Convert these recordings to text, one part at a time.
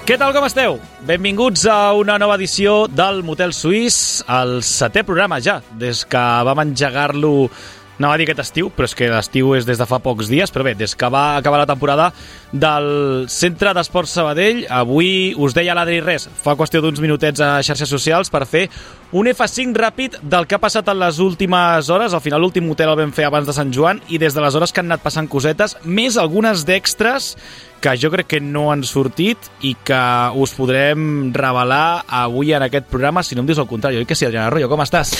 Què tal, com esteu? Benvinguts a una nova edició del Motel Suís, el 7è programa ja, des que vam engegar-lo, anava a dir aquest estiu, però és que l'estiu és des de fa pocs dies, però bé, des que va acabar la temporada del Centre d'Esports Sabadell. Avui us deia l'Adri res, fa qüestió d'uns minutets a xarxes socials per fer un F5 ràpid del que ha passat en les últimes hores. Al final l'últim motel el vam fer abans de Sant Joan i des d'aleshores que han anat passant cosetes, més algunes d'extras que jo crec que no han sortit i que us podrem revelar avui en aquest programa, si no em dius el contrari. Oi que sí, Adriana Arroyo, com estàs?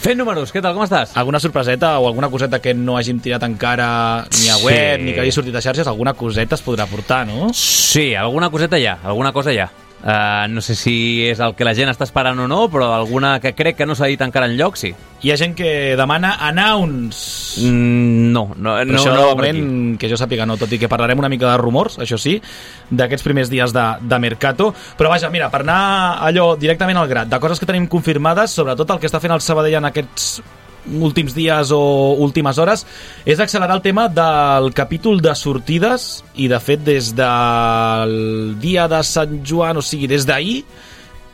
Fent números, què tal, com estàs? Alguna sorpreseta o alguna coseta que no hàgim tirat encara ni a web, ni que hagi sortit a xarxes, alguna coseta es podrà portar, no? Sí, alguna coseta hi ha, alguna cosa hi ha. No sé si és el que la gent està esperant o no, però alguna que crec que no s'ha dit encara enlloc, sí. Hi ha gent que demana announce. No això no moment que jo sàpiga no, tot i que parlarem una mica de rumors, això sí, d'aquests primers dies de Mercato. Però vaja, mira, per anar allò directament al grat, de coses que tenim confirmades, sobretot el que està fent el Sabadell en aquests últims dies o últimes hores, és accelerar el tema del capítol de sortides i, de fet, des del dia de Sant Joan, o sigui, des d'ahir,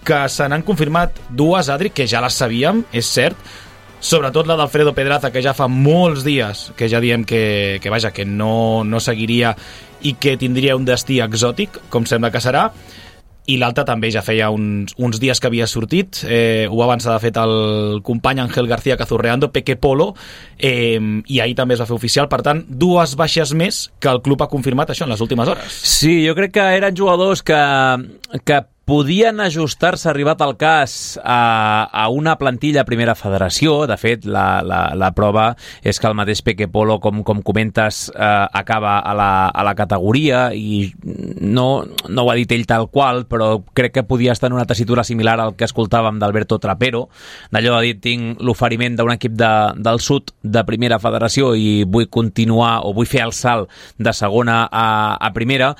que se n'han confirmat dues, Adri, que ja les sabíem, és cert, sobretot la d'Alfredo Pedraza, que ja fa molts dies que ja diem que vaja, que no seguiria i que tindria un destí exòtic, com sembla que serà. I l'altre també ja feia uns dies que havia sortit, ho va avançar de fet el company Ángel García Cazurreando, Peque Polo, i ahir també es va fer oficial. Per tant, dues baixes més que el club ha confirmat això en les últimes hores. Sí, jo crec que eren jugadors que podien ajustar-se, arribat al cas, a una plantilla a primera federació. De fet, la prova és que el mateix Peque Polo, com comentes, acaba a la categoria i no ho ha dit ell tal qual, però crec que podia estar en una tessitura similar al que escoltàvem d'Alberto Trapero, d'allò de dir, tinc l'oferiment d'un equip del sud de primera federació i vull continuar o vull fer el salt de segona a primera.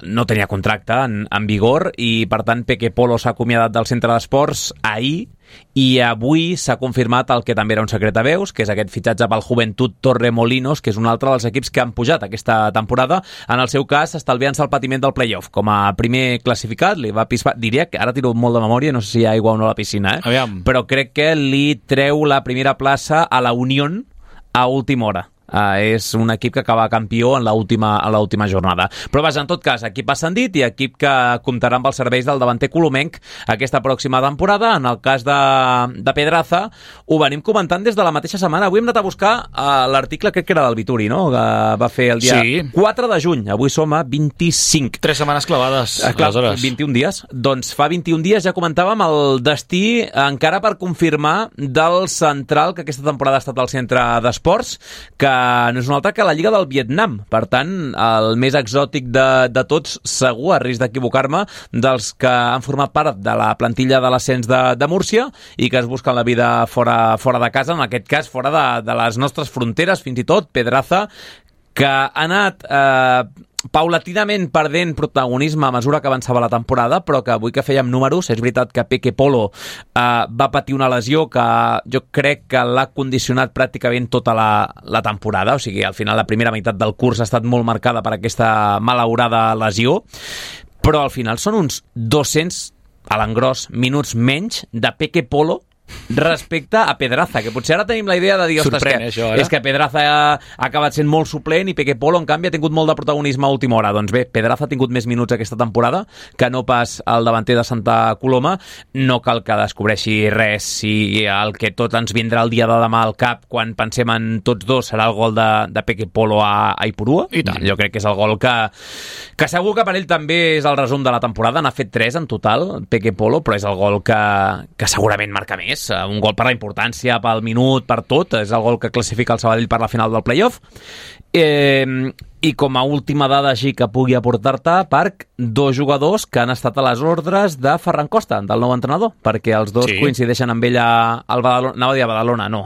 No tenia contracte en vigor i per tant Peque Polo s'ha acomiadat del centre d'esports ahir i avui s'ha confirmat el que també era un secret a veus, que és aquest fitxatge pel Juventud Torremolinos, que és un altre dels equips que han pujat aquesta temporada, en el seu cas estalviant-se el patiment del playoff. Com a primer classificat li va pispar, diria que ara tiro molt de memòria, no sé si hi ha aigua o no a la piscina, Aviam. Però crec que li treu la primera plaça a la Unión a última hora. És un equip que acaba campió en l'última jornada. Però vaja, en tot cas, equip ascendit i equip que comptarà amb els serveis del davanter colomenc aquesta pròxima temporada. En el cas de Pedraza, ho venim comentant des de la mateixa setmana. Avui hem anat a buscar l'article, crec que era del Vituri, no? Que va fer el dia 4 de juny. Avui som a 25. 3 setmanes clavades, clar, 21 dies. Doncs fa 21 dies ja comentàvem el destí encara per confirmar del central que aquesta temporada ha estat al centre d'esports, que no és un altre que la Lliga del Vietnam. Per tant, el més exòtic de tots, segur, a risc d'equivocar-me, dels que han format part de la plantilla de l'ascens de Múrcia i que es busquen la vida fora de casa, en aquest cas fora de les nostres fronteres, fins i tot Pedraza, que ha anat paulatinament perdent protagonisme a mesura que avançava la temporada, però que avui que fèiem números, és veritat que Peque Polo va patir una lesió que jo crec que l'ha condicionat pràcticament tota la temporada, o sigui, al final la primera meitat del curs ha estat molt marcada per aquesta malaurada lesió, però al final són uns 200 a l'engròs minuts menys de Peque Polo respecte a Pedraza, que potser ara tenim la idea de dir, ostres, és que Pedraza ha acabat sent molt suplent i Peque Polo, en canvi, ha tingut molt de protagonisme a última hora. Doncs bé, Pedraza ha tingut més minuts aquesta temporada que no pas el davanter de Santa Coloma. No cal que descobreixi res, si el que tot ens vindrà el dia de demà al cap quan pensem en tots dos serà el gol de Peque Polo a Ipurua. I tant. Jo crec que és el gol que segur que per ell també és el resum de la temporada. N'ha fet 3 en total, Peque Polo, però és el gol que segurament marca més. Un gol per la importància, pel minut, per tot. És el gol que classifica el Sabadell per la final del playoff. I com a última dada així que pugui aportar-te, Parc, 2 jugadors que han estat a les ordres de Ferran Costa, del nou entrenador, perquè els dos coincideixen amb ell al Badalona, anava a dir a Badalona, no,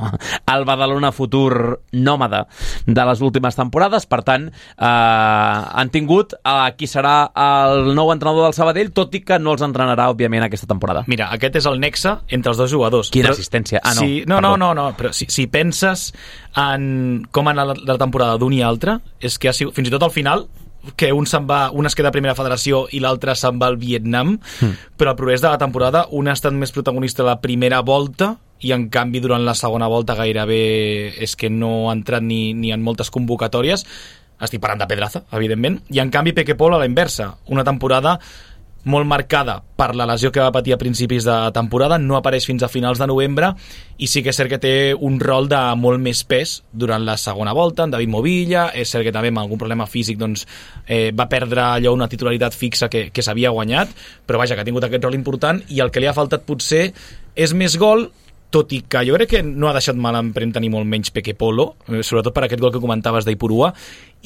al Badalona futur nòmada de les últimes temporades. Per tant, han tingut qui serà el nou entrenador del Sabadell, tot i que no els entrenarà, òbviament, aquesta temporada. Mira, aquest és el nexe entre els dos jugadors. Quina assistència? No, però si penses en com ha anat la temporada d'un i altre, és que fins i tot al final que un es queda a primera federació i l'altre se'n va al Vietnam, però el progrés de la temporada un ha estat més protagonista a la primera volta i en canvi durant la segona volta gairebé és que no ha entrat ni en moltes convocatòries. Estic parlant de Pedraza, evidentment, i en canvi Peque Pol a la inversa, una temporada molt marcada per la lesió que va patir a principis de temporada, no apareix fins a finals de novembre i sí que és cert que té un rol de molt més pes durant la segona volta, en David Movilla, és cert que també amb algun problema físic doncs, va perdre allò una titularitat fixa que s'havia guanyat, però vaja, que ha tingut aquest rol important i el que li ha faltat potser és més gol, tot i que jo crec que no ha deixat mala empremta ni molt menys Peque Polo, sobretot per aquest gol que comentaves d'Ipurua,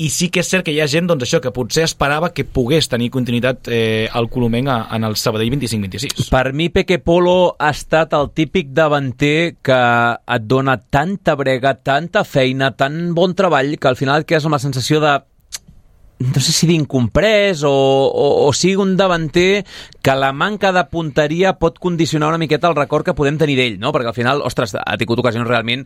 i sí que és cert que hi ha gent doncs, això que potser esperava que pogués tenir continuïtat al Colomenc en el Sabadell 25-26. Per mi Peque Polo ha estat el típic davanter que et dona tanta brega, tanta feina, tan bon treball, que al final et quedes amb la sensació de no sé si d'incomprès o sigui un davanter que la manca de punteria pot condicionar una miqueta el record que podem tenir d'ell, no? Perquè al final, ostres, ha tingut ocasions realment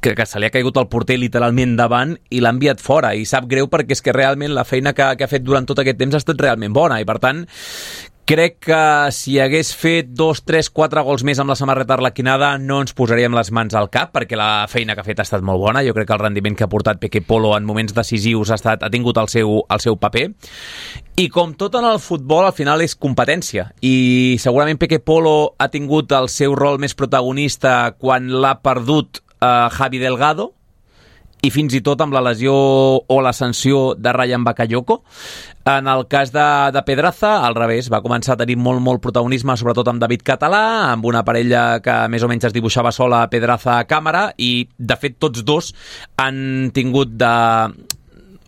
que se li ha caigut el porter literalment davant i l'ha enviat fora i sap greu perquè és que realment la feina que ha fet durant tot aquest temps ha estat realment bona i per tant crec que si hagués fet 2, 3, 4 gols més amb la samarreta arlequinada no ens posaríem les mans al cap perquè la feina que ha fet ha estat molt bona. Jo crec que el rendiment que ha portat Peque Polo en moments decisius ha tingut el seu paper. I com tot en el futbol, al final és competència. I segurament Peque Polo ha tingut el seu rol més protagonista quan l'ha perdut Javi Delgado, i fins i tot amb la lesió o la sanció de Ryan Bakayoko. En el cas de Pedraza, al revés, va començar a tenir molt protagonisme, sobretot amb David Català, amb una parella que més o menys es dibuixava sola, Pedraza a càmera, i de fet tots dos han tingut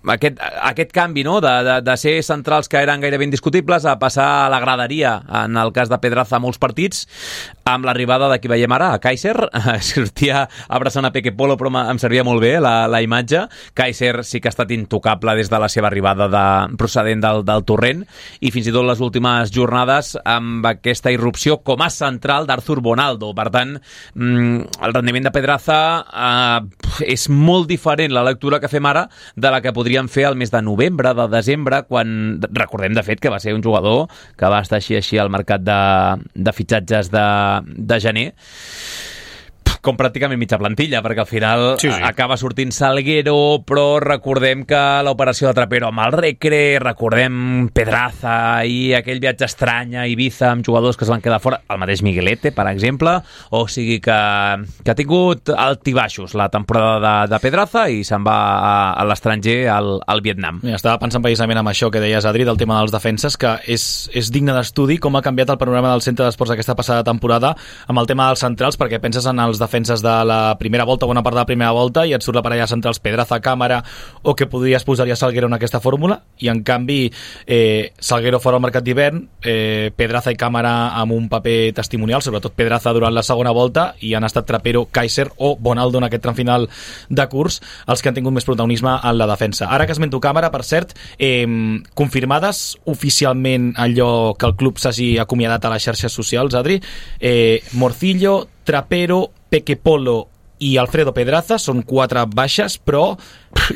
aquest canvi, no? de ser centrals que eren gairebé indiscutibles a passar a la graderia, en el cas de Pedraza a molts partits, amb l'arribada de qui veiem ara, a Kaiser, sortia abraçant a Peque Polo, però em servia molt bé la imatge. Kaiser sí que ha estat intocable des de la seva arribada procedent del Torrent, i fins i tot les últimes jornades amb aquesta irrupció com a central d'Arthur Bonaldo. Per tant, el rendiment de Pedraza és molt diferent la lectura que fem ara de la que podríem fer al mes de novembre, de desembre, quan recordem de fet que va ser un jugador que va estar així al mercat de fitxatges de gener, com pràcticament mitja plantilla, perquè al final acaba sortint Salguero, però recordem que l'operació de Trapero amb el Recre, recordem Pedraza i aquell viatge estrany a Ibiza amb jugadors que es van quedar fora, el mateix Miguelete, per exemple, o sigui que ha tingut altibaixos la temporada de Pedraza i se'n va a l'estranger, al Vietnam. Estava pensant precisament en això que deies, Adri, del tema dels defenses, que és digne d'estudi com ha canviat el panorama del centre d'esports aquesta passada temporada amb el tema dels centrals, perquè penses en els defenses de la primera volta, bona part de la primera volta, i et surt la parella centrals Pedraza, Càmera, o que podries posar-hi a Salguero en aquesta fórmula, i en canvi Salguero fora al mercat d'hivern, Pedraza i Càmera amb un paper testimonial, sobretot Pedraza durant la segona volta, i han estat Trapero, Kaiser o Bonaldo en aquest tram final de curs els que han tingut més protagonisme en la defensa. Ara que esmento Càmera, per cert, confirmades oficialment allò que el club s'hagi acomiadat a les xarxes socials, Adri, Morcillo, Trapero, Peque Polo i Alfredo Pedraza són 4 baixes, però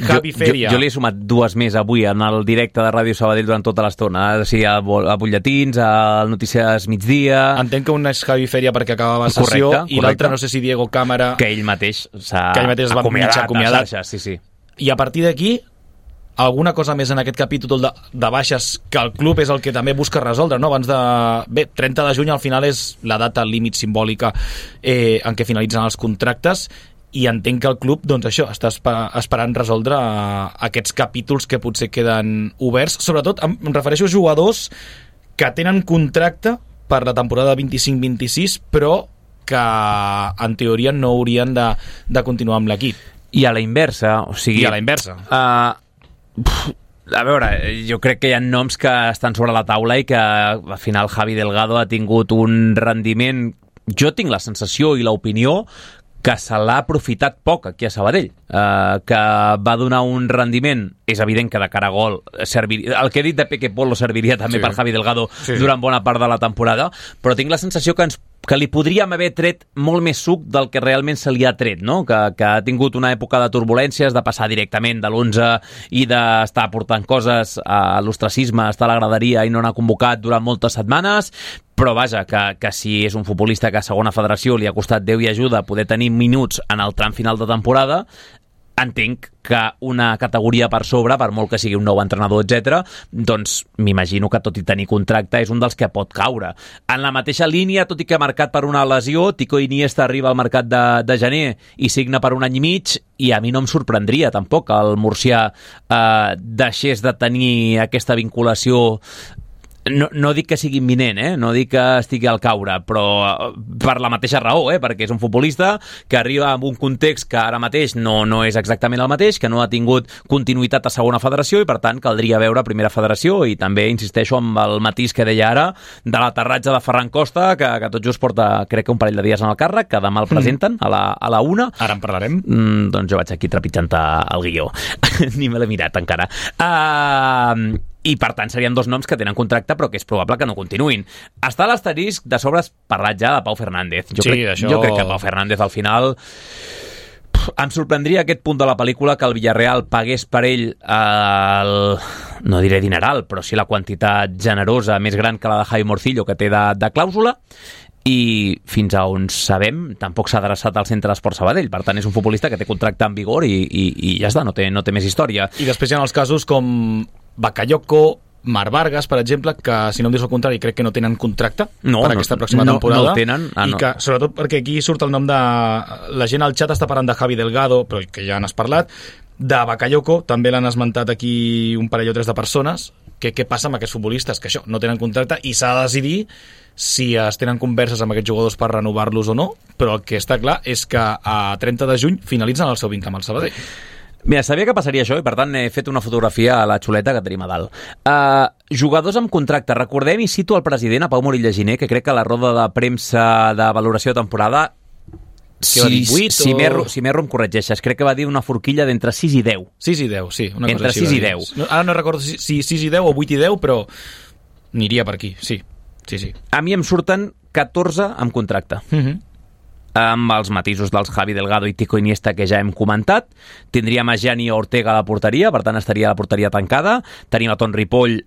Javi Feria... Jo li he sumat 2 més avui en el directe de Ràdio Sabadell durant tota l'estona, o sigui, a butlletins, al Notícies Migdia... Entenc que un és Javi Feria perquè acabava sessió, correcte. I l'altre no sé si Diego Càmera... Que ell mateix s'ha acomiadat. Sí. I a partir d'aquí, alguna cosa més en aquest capítol de baixes que el club és el que també busca resoldre, no? Abans de... Bé, 30 de juny al final és la data límit simbòlica en què finalitzen els contractes, i entenc que el club, doncs això, està esperant resoldre aquests capítols que potser queden oberts. Sobretot em refereixo a jugadors que tenen contracte per la temporada 25-26, però que en teoria no haurien de continuar amb l'equip. I a la inversa, o sigui... I a la inversa. A veure, jo crec que hi ha noms que estan sobre la taula i que al final Javi Delgado ha tingut un rendiment, jo tinc la sensació i l'opinió que se l'ha aprofitat poc aquí a Sabadell, que va donar un rendiment, és evident que de cara a gol serviria, el que he dit de Peque Polo serviria també per Javi Delgado durant bona part de la temporada, però tinc la sensació que ens que li podríem haver tret molt més suc del que realment se li ha tret, no? Que ha tingut una època de turbulències, de passar directament de l'11 i d'estar portant coses a l'ostracisme, estar a la graderia i no anar convocat durant moltes setmanes, però vaja, que si és un futbolista que a segona federació li ha costat Déu i ajuda poder tenir minuts en el tram final de temporada, entenc que una categoria per sobre, per molt que sigui un nou entrenador, etc., doncs m'imagino que tot i tenir contracte és un dels que pot caure. En la mateixa línia, tot i que ha marcat per una lesió, Tico Iniesta arriba al mercat de gener i signa per 1 any i mig, i a mi no em sorprendria tampoc que el murcià deixés de tenir aquesta vinculació. No dic que sigui imminent, no dic que estigui al caure, però per la mateixa raó, perquè és un futbolista que arriba en un context que ara mateix no és exactament el mateix, que no ha tingut continuïtat a segona federació i per tant caldria veure primera federació, i també insisteixo amb el matís que deia ara de l'aterratge de Ferran Costa, que tot just porta crec que un parell de dies en el càrrec, que demà el presenten a la 1. Ara en parlarem. Doncs jo vaig aquí trepitjant el guió. Ni me l'he mirat encara. I per tant serien 2 noms que tenen contracte però que és probable que no continuïn. Està l'asterisc de sobre parlat ja de Pau Fernández. Jo crec que Pau Fernández al final em sorprendria aquest punt de la pel·lícula que el Villarreal pagués per ell no diré dineral, però sí la quantitat generosa més gran que la de Javi Morcillo que té de clàusula, i fins a on sabem tampoc s'ha adreçat al Centre d'Esport Sabadell, per tant és un futbolista que té contracte en vigor i ja està, no té més història. I després hi ha els casos com Bakayoko, Marc Vargas, per exemple, que si no em dius el contrari crec que no tenen contracte per aquesta pròxima temporada. No el tenen. Que, sobretot perquè aquí surt el nom de... La gent al xat està parlant de Javi Delgado, però que ja n'has parlat. De Bakayoko, també l'han esmentat aquí un parell o 3 de persones. Què passa amb aquests futbolistes? Que això, no tenen contracte i s'ha de decidir si es tenen converses amb aquests jugadors per renovar-los o no, però el que està clar és que a 30 de juny finalitzen el seu vincle amb el Sabadell. Mira, sabia que passaria això i per tant he fet una fotografia a la xuleta que tenim a dalt. Jugadors amb contracte. Recordem i cito el president, a Pau Morilla Giner, que crec que a la roda de premsa de valoració de temporada, si m'erro em corregeixes, crec que va dir una forquilla d'entre 6 i 10. 6 i 10, sí. Una entre cosa 6 i 10. Ara no recordo si 6 i 10 o 8 i 10, però aniria per aquí, sí. A mi em surten 14 amb contracte. Amb els matisos dels Javi Delgado i Tico Iniesta que ja hem comentat. Tindríem a Gianni Ortega a la porteria, per tant estaria la porteria tancada. Tenim a Ton Ripoll,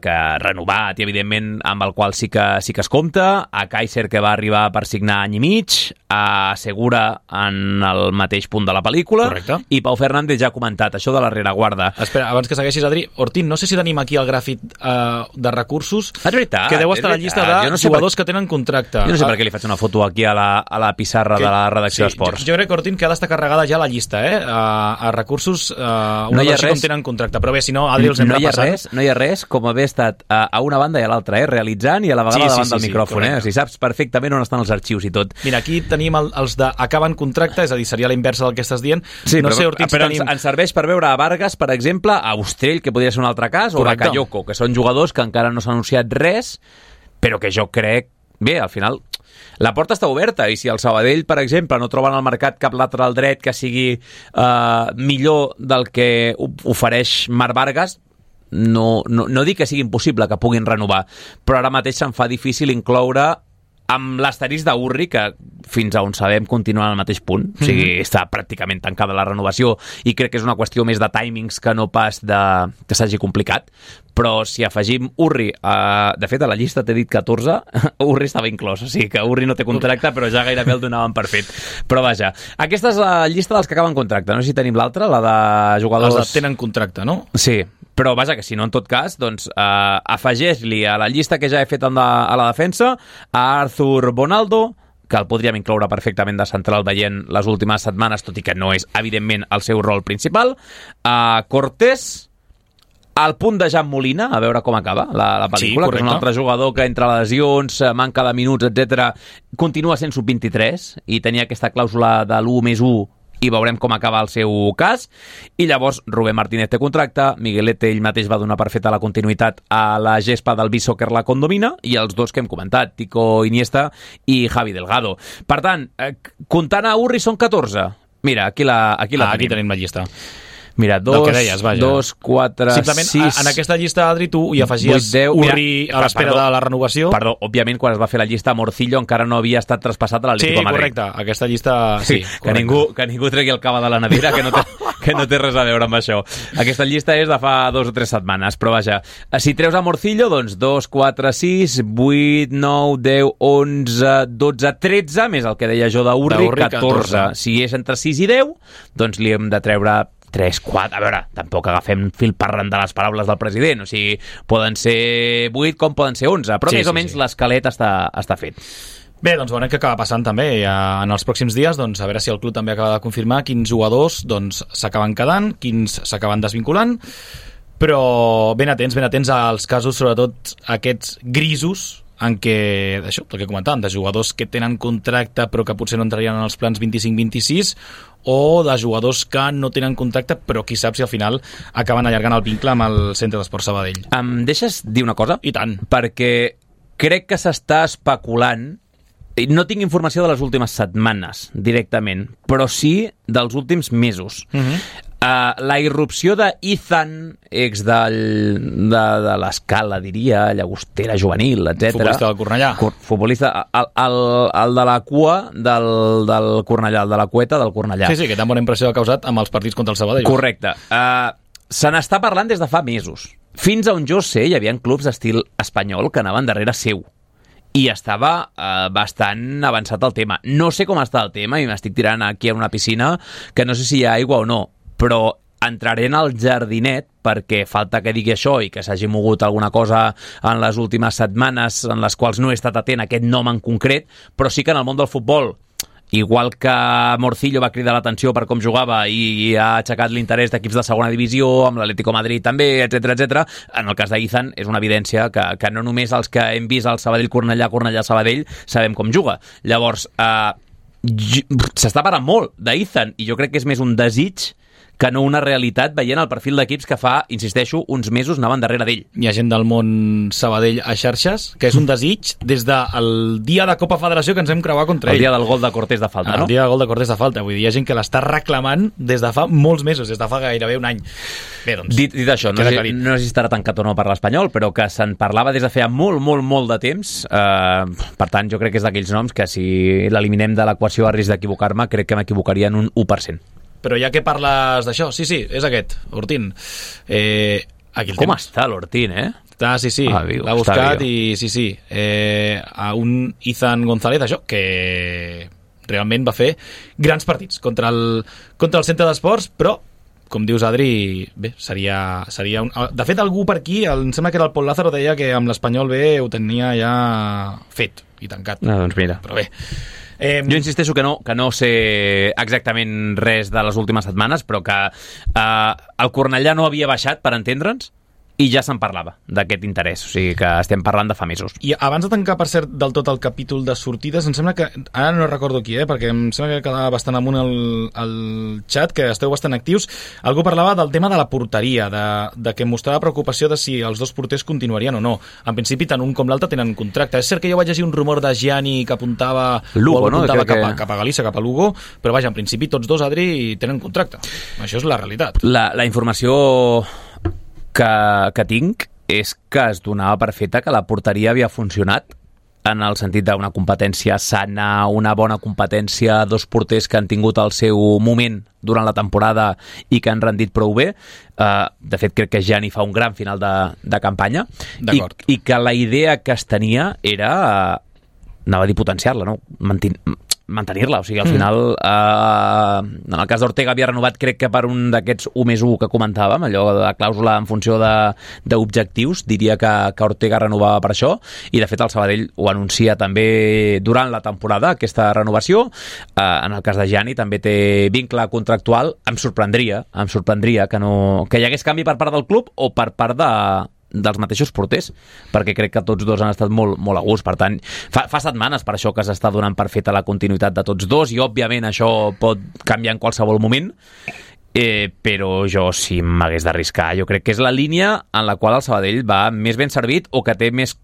que renovat i evidentment amb el qual sí que es compta, a Kaiser, que va arribar per signar any i mig, a Segura en el mateix punt de la pel·lícula. Correcte. I Pau Fernández ja ha comentat això de la rereguarda. Espera, abans que segueixis, Adri, Ortín, no sé si tenim aquí el gràfic de recursos, veritat, que deu estar a la llista de jugadors que tenen contracte. Jo no sé per què li faig una foto aquí a la pissarra de la redacció d'Esports. Jo crec que Ortín que ha d'estar carregada ja la llista, a recursos, una versió com tenen contracte, però bé, si no, Adri els hem repassat. No hi ha res com haver estat a una banda i a l'altra, realitzant i a la vegada davant del micròfon. O sigui, saps perfectament on estan els arxius i tot. Mira, aquí tenim els de acaben contracte, és a dir, seria la inversa del que estàs dient. Sí, no sé, Ortiz, però ens serveix per veure a Vargas, per exemple, a Ostrell, que podria ser un altre cas, o a Bakayoko, que són jugadors que encara no s'ha anunciat res, però que jo crec... Bé, al final... La porta està oberta i si el Sabadell, per exemple, no troben al mercat cap lateral dret que sigui millor del que ofereix Marc Vargas, no dic que sigui impossible que puguin renovar, però ara mateix se'm fa difícil incloure amb l'asterisc d'Urri, que fins a on sabem continua en el mateix punt, o sigui, està pràcticament tancada la renovació i crec que és una qüestió més de timings que no pas que s'hagi complicat, però si afegim Urri, de fet a la llista t'he dit 14, Urri estava inclòs, o sigui que Urri no té contracte però ja gairebé el donaven per fet, però vaja, aquesta és la llista dels que acaben contracte, no sé si tenim l'altra, la de jugadors... Els que tenen contracte, no? Sí, però vaja, que si no, en tot cas, doncs afegeix-li a la llista que ja he fet a la defensa a Arthur Bonaldo, que el podríem incloure perfectament de central veient les últimes setmanes, tot i que no és, evidentment, el seu rol principal, a Cortés, al punt de Jan Molina, a veure com acaba la pel·lícula, que és un altre jugador que entre lesions, manca de minuts, etc, continua sent sub-23 i tenia aquesta clàusula de l'1+1 i veurem com acaba el seu cas. I llavors Rubén Martínez té contracte, Miguelete ell mateix va donar per feta la continuïtat a la gespa del Beach-Soccer La Condomina, i els dos que hem comentat, Tico Iniesta i Javi Delgado. Per tant, comptant a Urri són 14. Mira, aquí tenim la llista. Mira, del que deies, vaja. 2, 4, simplement, 6... en aquesta llista, Adri, tu hi afegies 8, 10, Urri a l'espera de la renovació. Perdó, òbviament, quan es va fer la llista, Morcillo encara no havia estat traspassat a l'Atlético de Madrid. Sí, correcte, aquesta llista... Sí, que ningú tregui el cava de la nevera, que no té res a veure amb això. Aquesta llista és de fa 2 o 3 setmanes, però vaja, si treus a Morcillo, doncs 2, 4, 6, 8, 9, 10, 11, 12, 13, més el que deia jo d'Urri, 14. Si és entre 6 i 10, doncs li hem de treure 3, 4, a veure, tampoc agafem fil parlant de les paraules del president, o sigui, poden ser 8 com poden ser 11, però més o menys l'esquelet està fet. Bé, doncs veurem què acaba passant també en els pròxims dies, doncs a veure si el club també acaba de confirmar quins jugadors doncs s'acaben quedant, quins s'acaben desvinculant, però ben atents als casos, sobretot aquests grisos, en què, això, el que comentàvem, de jugadors que tenen contracte però que potser no entrarien en els plans 25-26, o de jugadors que no tenen contracte però qui sap si al final acaben allargant el vincle amb el Centre d'Esport Sabadell. Em deixes dir una cosa? I tant. Perquè crec que s'està especulant, no tinc informació de les últimes setmanes directament, però sí dels últims mesos. La irrupció d'Ethan, ex de l'Escala, diria, llagostera juvenil, etc. Futbolista del Cornellà. Futbolista, el de la cua del Cornellà, el de la cueta del Cornellà. Sí, que tan bona impressió ha causat amb els partits contra el Sabadell. Correcte. Se n'està parlant des de fa mesos. Fins a on jo sé, hi havia clubs d'estil espanyol que anaven darrere seu. I estava bastant avançat el tema. No sé com està el tema i m'estic tirant aquí a una piscina que no sé si hi ha aigua o no, però entraré en el jardinet perquè falta que digui això i que s'hagi mogut alguna cosa en les últimes setmanes en les quals no he estat atent a aquest nom en concret, però sí que en el món del futbol, igual que Morcillo va cridar l'atenció per com jugava i ha aixecat l'interès d'equips de segona divisió, amb l'Atlético de Madrid també, etc. En el cas d'Ethan és una evidència que no només els que hem vist el Sabadell-Cornellà, Cornellà-Sabadell, sabem com juga. Llavors, s'està parlant molt d'Ethan i jo crec que és més un desig que no una realitat, veient el perfil d'equips que fa, insisteixo, uns mesos anaven darrere d'ell. Hi ha gent del món Sabadell a xarxes, que és un desig des del dia de Copa Federació que ens hem creuat contra ell. El dia del gol de Cortés de falta, no? El dia del gol de Cortés de falta. Vull dir, hi ha gent que l'està reclamant des de fa molts mesos, des de fa gairebé un any. Bé, doncs... Dit això, no sé si estarà tancat o no per l'Espanyol, però que se'n parlava des de feia molt de temps. Per tant, jo crec que és d'aquells noms que si l'eliminem de l'equació a risc d'equivocar-me, crec que m'equivocaria en un 1%. Però ja que parles d'això, sí, és aquest, Ortín. Aquí com està l'Ortín, Sí, l'ha buscat i sí. A un Ethan González, això, que realment va fer grans partits contra el Centre d'Esports, però, com dius, Adri, bé, seria un... De fet, algú per aquí, em sembla que era el Pol Lázaro, deia que amb l'Espanyol B ho tenia ja fet i tancat. Doncs mira. Però bé... Jo insisteixo que no sé exactament res de les últimes setmanes, però que el Cornellà no havia baixat, per entendre'ns, i ja se'n parlava d'aquest interès, o sigui que estem parlant de fa mesos. I abans de tancar, per cert, del tot el capítol de sortides, em sembla que, ara no recordo qui, perquè em sembla que quedava bastant amunt el xat, que esteu bastant actius, algú parlava del tema de la porteria, de que mostrava preocupació de si els dos porters continuarien o no. En principi, tant un com l'altre tenen contracte. És cert que jo vaig llegir un rumor de Gianni que apuntava, Lugo, cap a Galícia, cap a Lugo, però vaja, en principi tots dos, Adri, tenen contracte. Això és la realitat. La informació que tinc és que es donava per feta que la porteria havia funcionat en el sentit d'una competència sana, una bona competència, dos porters que han tingut el seu moment durant la temporada i que han rendit prou bé. De fet, crec que Gianni fa un gran final de campanya i que la idea que es tenia era anava a dir potenciar-la, no? Mantenir-la, o sigui, al final en el cas d'Ortega havia renovat, crec que per un d'aquests 1+1 que comentàvem, allò de la clàusula en funció d'objectius, diria que Ortega renovava per això, i de fet el Sabadell ho anuncia també durant la temporada, aquesta renovació. En el cas de Gianni també té vincle contractual. Em sorprendria que hi hagués canvi per part del club o per part dels mateixos porters, perquè crec que tots dos han estat molt a gust. Per tant, fa setmanes per això que s'està donant per feta la continuïtat de tots dos, i òbviament això pot canviar en qualsevol moment, però jo, si m'hagués d'arriscar, jo crec que és la línia en la qual el Sabadell va més ben servit, o que té més...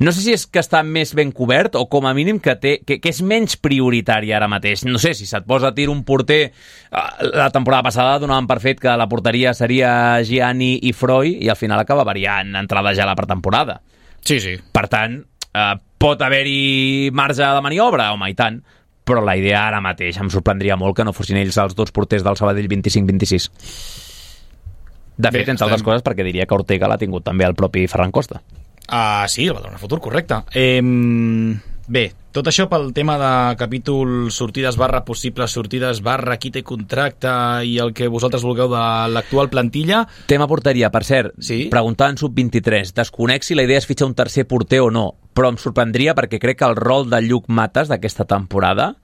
No sé si és que està més ben cobert o com a mínim que és menys prioritari ara mateix. No sé, si se't posa a tir un porter... La temporada passada donàvem per fet que la porteria seria Gianni i Freud i al final acaba variant entrada ja a la pretemporada. Sí. Per tant, pot haver-hi marge de maniobra, home, i tant, però la idea ara mateix em sorprendria molt que no fossin ells els 2 porters del Sabadell 25-26. De fet, entre altres coses, perquè diria que Ortega l'ha tingut també el propi Ferran Costa. Sí, el Badalona Futur, correcte. Bé, tot això pel tema de capítol sortides / possibles sortides / qui té contracte i el que vosaltres vulgueu de l'actual plantilla. Tema porteria, per cert, sí? Preguntant sub-23, desconec si la idea és fitxar un tercer porter o no, però em sorprendria perquè crec que el rol de Lluc Matas d'aquesta temporada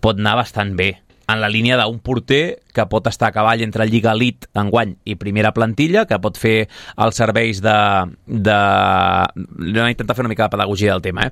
pot anar bastant bé, en la línia d'un porter que pot estar a cavall entre Lliga Elite enguany i primera plantilla, que pot fer els serveis de... Anem a intentar fer una mica de pedagogia del tema.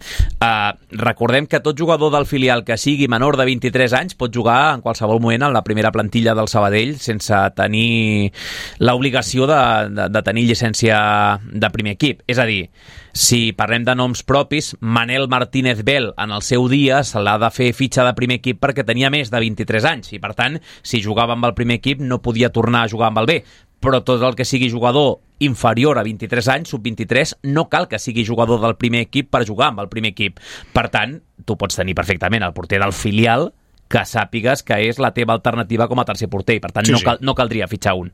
Recordem que tot jugador del filial que sigui menor de 23 anys pot jugar en qualsevol moment en la primera plantilla del Sabadell sense tenir l'obligació de tenir llicència de primer equip. És a dir, si parlem de noms propis, Manel Martínez Bel en el seu dia se l'ha de fer fitxa de primer equip perquè tenia més de 23 anys i per tant, si jugava amb el primer equip no podia tornar a jugar amb el B, però tot el que sigui jugador inferior a 23 anys, sub-23, no cal que sigui jugador del primer equip per jugar amb el primer equip. Per tant, tu pots tenir perfectament el porter del filial que sàpigues que és la teva alternativa com a tercer porter i per tant no caldria fitxar un.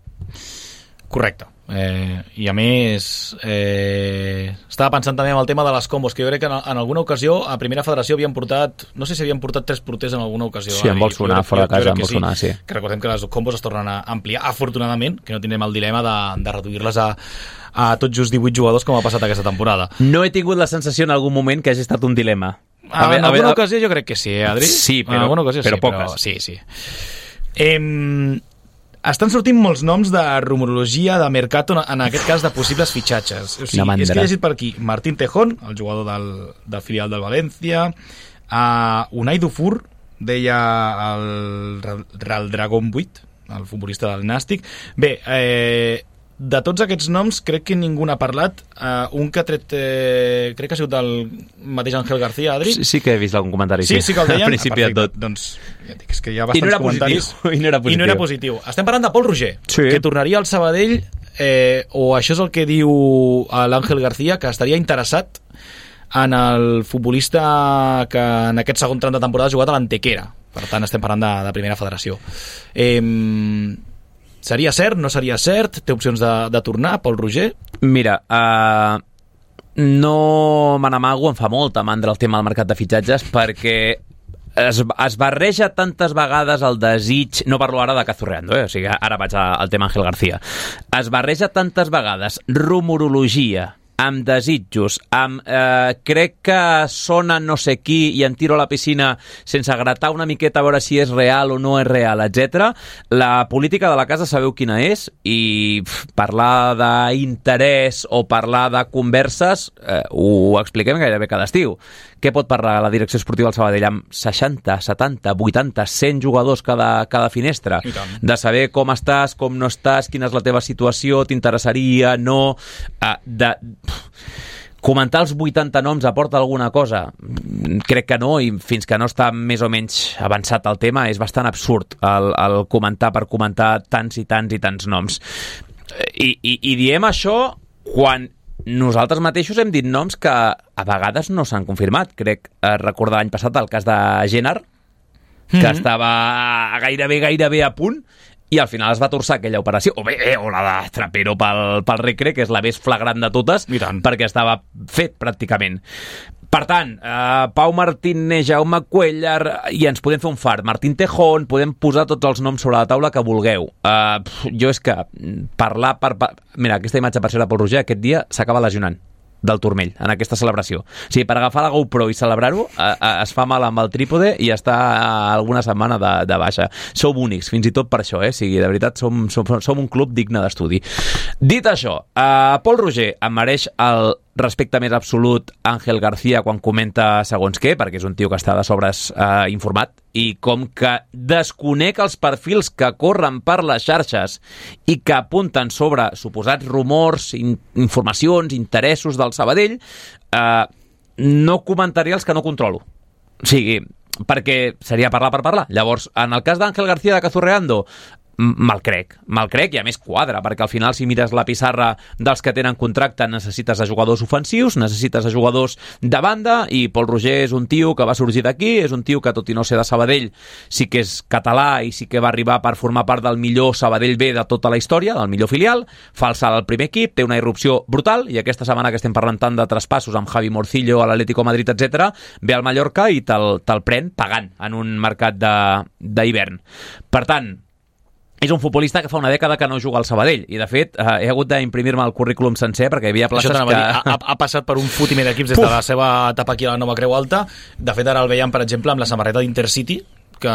Correcte. I a més estava pensant també en el tema de les combos, que jo crec que en alguna ocasió a Primera Federació havien portat, no sé si havien portat 3 porters en alguna ocasió. Sí, em vol sonar, fora de casa em vol sonar, sí. Que recordem que les combos es tornen a ampliar, afortunadament, que no tindrem el dilema de reduir-les a tot just 18 jugadors com ha passat aquesta temporada. No he tingut la sensació en algun moment que hagi estat un dilema. En alguna ocasió jo crec que sí, Adri? Sí, però, en alguna ocasió però sí, poques. Però, sí. Estan sortint molts noms de rumorologia de mercat en aquest cas de possibles fitxatges. O sigui, és que he llegit per aquí Martín Tejón, el jugador del filial del València, Unai Dufour, deia el Real Dragon 8, el futbolista del Nàstic. Bé, de tots aquests noms crec que ningú n'ha parlat. Un que ha tret crec que ha sigut el mateix Ángel García, Adri. Sí que he vist algun comentari, sí que el deien. Al principi de tot. Doncs ja dic, és que hi ha bastants comentaris. I no era positiu. Estem parlant de Pol Roger, que tornaria al Sabadell, o això és el que diu l'Ángel García, que estaria interessat en el futbolista que en aquest segon tram de temporada ha jugat a l'Antequera. Per tant, estem parlant de Primera Federació. Seria cert? No seria cert? Té opcions de tornar, Pol Roger? Mira, no me n'amago, em fa molta mandra el tema del mercat de fitxatges perquè es barreja tantes vegades el desig, no parlo ara de Cazorreando, o sigui, ara vaig al tema Ángel García, es barreja tantes vegades rumorologia amb desitjos, amb crec que sona no sé qui i em tiro a la piscina sense gratar una miqueta a veure si és real o no és real, etc. La política de la casa sabeu quina és i parlar d'interès o parlar de converses ho expliquem gairebé cada estiu. Què pot parlar la direcció esportiva del Sabadell amb 60, 70, 80, 100 jugadors cada finestra? De saber com estàs, com no estàs, quina és la teva situació, t'interessaria, no... Comentar els 80 noms aporta alguna cosa? Crec que no, i fins que no està més o menys avançat el tema és bastant absurd el comentar per comentar tants i tants i tants noms. I diem això quan nosaltres mateixos hem dit noms que a vegades no s'han confirmat. Crec recordar l'any passat el cas de Génard, que estava gairebé a punt i al final es va torçar aquella operació, o la de Trapero pel Recre, que és la més flagrant de totes, perquè estava fet pràcticament. Per tant, Pau Martínez, Jaume Cuellar, i ens podem fer un fart, Martín Tejón, podem posar tots els noms sobre la taula que vulgueu. Jo és que parlar Mira, aquesta imatge per ser de Pol Roger aquest dia s'acaba lesionant del turmell, en aquesta celebració. O sigui, per agafar la GoPro i celebrar-ho es fa mal amb el trípode i està alguna setmana de baixa. Som únics, fins i tot per això, o sigui, de veritat som un club digne d'estudi. Dit això, Pol Roger em mereix el respecte més absolut Ángel García quan comenta segons què, perquè és un tio que està de sobres informat, i com que desconec els perfils que corren per les xarxes i que apunten sobre suposats rumors, informacions, interessos del Sabadell, no comentaria els que no controlo. O sigui, perquè seria parlar per parlar. Llavors, en el cas d'Àngel García de Cazorreando, me'l crec, i a més quadra, perquè al final si mires la pissarra dels que tenen contracte necessites a jugadors ofensius, necessites a jugadors de banda, i Pol Roger és un tio que va sorgir d'aquí, és un tio que tot i no ser de Sabadell sí que és català i sí que va arribar per formar part del millor Sabadell B de tota la història, del millor filial, fa el salt al primer equip, té una irrupció brutal, i aquesta setmana que estem parlant tant de traspassos amb Javi Morcillo a l'Atlético Madrid, etc, ve al Mallorca i te'l pren pagant en un mercat d'hivern. Per tant, és un futbolista que fa una dècada que no juga al Sabadell, i de fet he hagut d'imprimir-me el currículum sencer perquè hi havia places que... Ha passat per un fotimer d'equips des de la seva etapa aquí a la Nova Creu Alta. De fet, ara el veiem, per exemple, amb la samarreta d'Intercity, que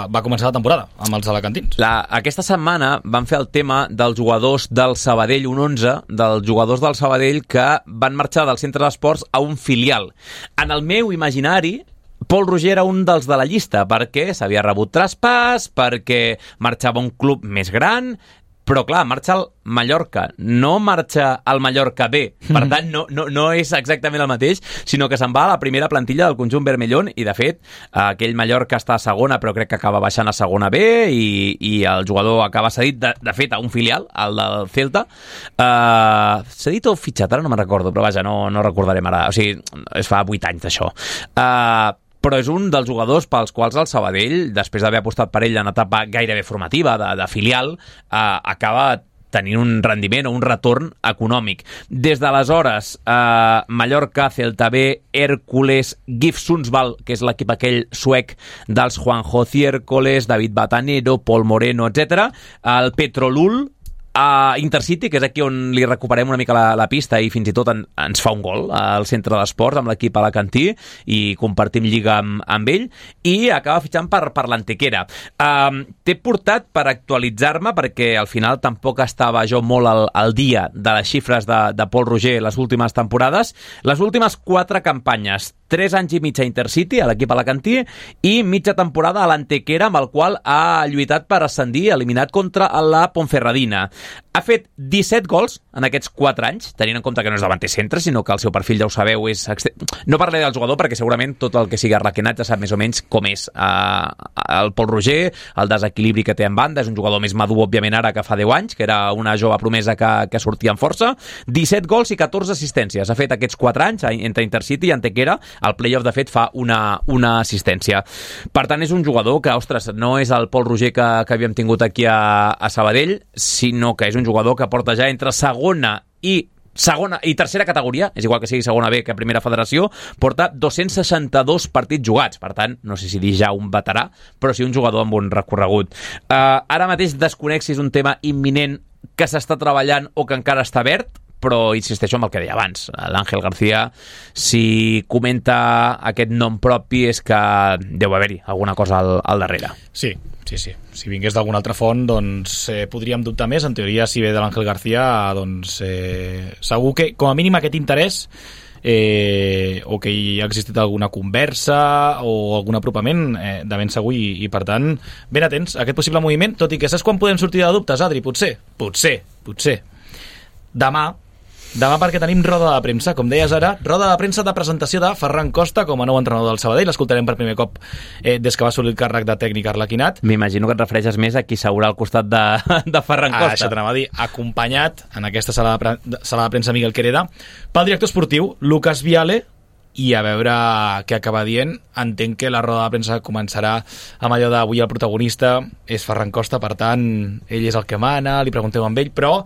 va començar la temporada amb els alacantins. Aquesta setmana van fer el tema dels jugadors del Sabadell, un 11, dels jugadors del Sabadell que van marxar del centre d'esports a un filial. En el meu imaginari, Pol Roger era un dels de la llista, perquè s'havia rebut traspàs, perquè marxava a un club més gran, però clar, marxa al Mallorca, no marxa al Mallorca B, per tant no és exactament el mateix, sinó que se'n va a la primera plantilla del conjunt vermellón, i de fet aquell Mallorca està a segona, però crec que acaba baixant a segona B, i el jugador acaba cedit de fet a un filial, el del Celta. Cedit o fitxat, ara no me'n recordo, però vaja, no recordarem ara, o sigui, es fa 8 anys d'això. Però és un dels jugadors pels quals el Sabadell, després d'haver apostat per ell en etapa gairebé formativa, de filial, acaba tenint un rendiment o un retorn econòmic. Des d'aleshores, Mallorca, Celta B, Hércules, GIF Sundsvall, que és l'equip aquell suec dels Juanjo Ciércoles, David Batanero, Pol Moreno, etc. El Petrolul, a Intercity, que és aquí on li recuperem una mica la pista, i fins i tot ens fa un gol al centre d'esports amb l'equip alacantí i compartim lliga amb ell, i acaba fitxant per l'Antequera. T'he portat per actualitzar-me, perquè al final tampoc estava jo molt al dia de les xifres de Pol Roger les últimes temporades. Les últimes 4 campanyes, 3 anys i mig a Intercity, a l'equip alacantí, i mitja temporada a l'Antequera, amb el qual ha lluitat per ascendir, eliminat contra la Ponferradina. Ha fet 17 gols en aquests 4 anys, tenint en compte que no és davanter centre, sinó que el seu perfil, ja ho sabeu, és... No parlaré del jugador, perquè segurament tot el que sigui arlequinat ja sap més o menys com és el Pol Roger, el desequilibri que té en banda. És un jugador més madur, òbviament, ara que fa 10 anys, que era una jove promesa que sortia amb força. 17 gols i 14 assistències. Ha fet aquests 4 anys entre Intercity i Antequera. El playoff, de fet, fa una assistència. Per tant, és un jugador que, ostres, no és el Pol Roger que havíem tingut aquí a Sabadell, sinó que és un jugador que porta ja entre segona i tercera categoria, és igual que sigui segona B que primera federació, porta 262 partits jugats. Per tant, no sé si dir ja un veterà, però sí un jugador amb un recorregut. Ara mateix desconec si és un tema imminent que s'està treballant o que encara està verd, però insisteixo en el que deia abans. L'Àngel García, si comenta aquest nom propi, és que deu haver-hi alguna cosa al darrere. Sí. Si vingués d'alguna altra font, doncs podríem dubtar més. En teoria, si ve de l'Àngel García, doncs segur que, com a mínim, aquest interès o que hi ha existit alguna conversa o algun apropament de ben segur, i per tant, ben atents a aquest possible moviment, tot i que saps quan podem sortir de dubtes, Adri? Potser demà, perquè tenim roda de premsa, com deies ara, roda de premsa de presentació de Ferran Costa com a nou entrenador del Sabadell. L'escoltarem per primer cop des que va assolir el càrrec de tècnic arlequinat. M'imagino que et refereixes més a qui seurà al costat de Ferran Costa. Això t'anava a dir, acompanyat en aquesta sala de premsa Miguel Quereda pel director esportiu Lucas Viale, i a veure què acaba dient. Entenc que la roda de premsa començarà amb allò d'avui el protagonista és Ferran Costa, per tant ell és el que mana, li pregunteu amb ell, però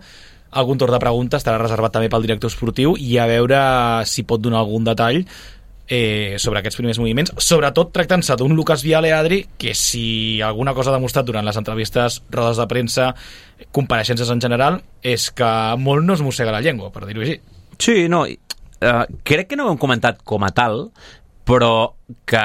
algun torn de preguntes estarà reservat també pel director esportiu, i a veure si pot donar algun detall sobre aquests primers moviments, sobretot tractant-se d'un Lucas Viale, Adri, que si alguna cosa ha demostrat durant les entrevistes, rodes de premsa, compareixences en general, és que molt no es mossega la llengua, per dir-ho així. Sí, no, crec que no ho hem comentat com a tal, però que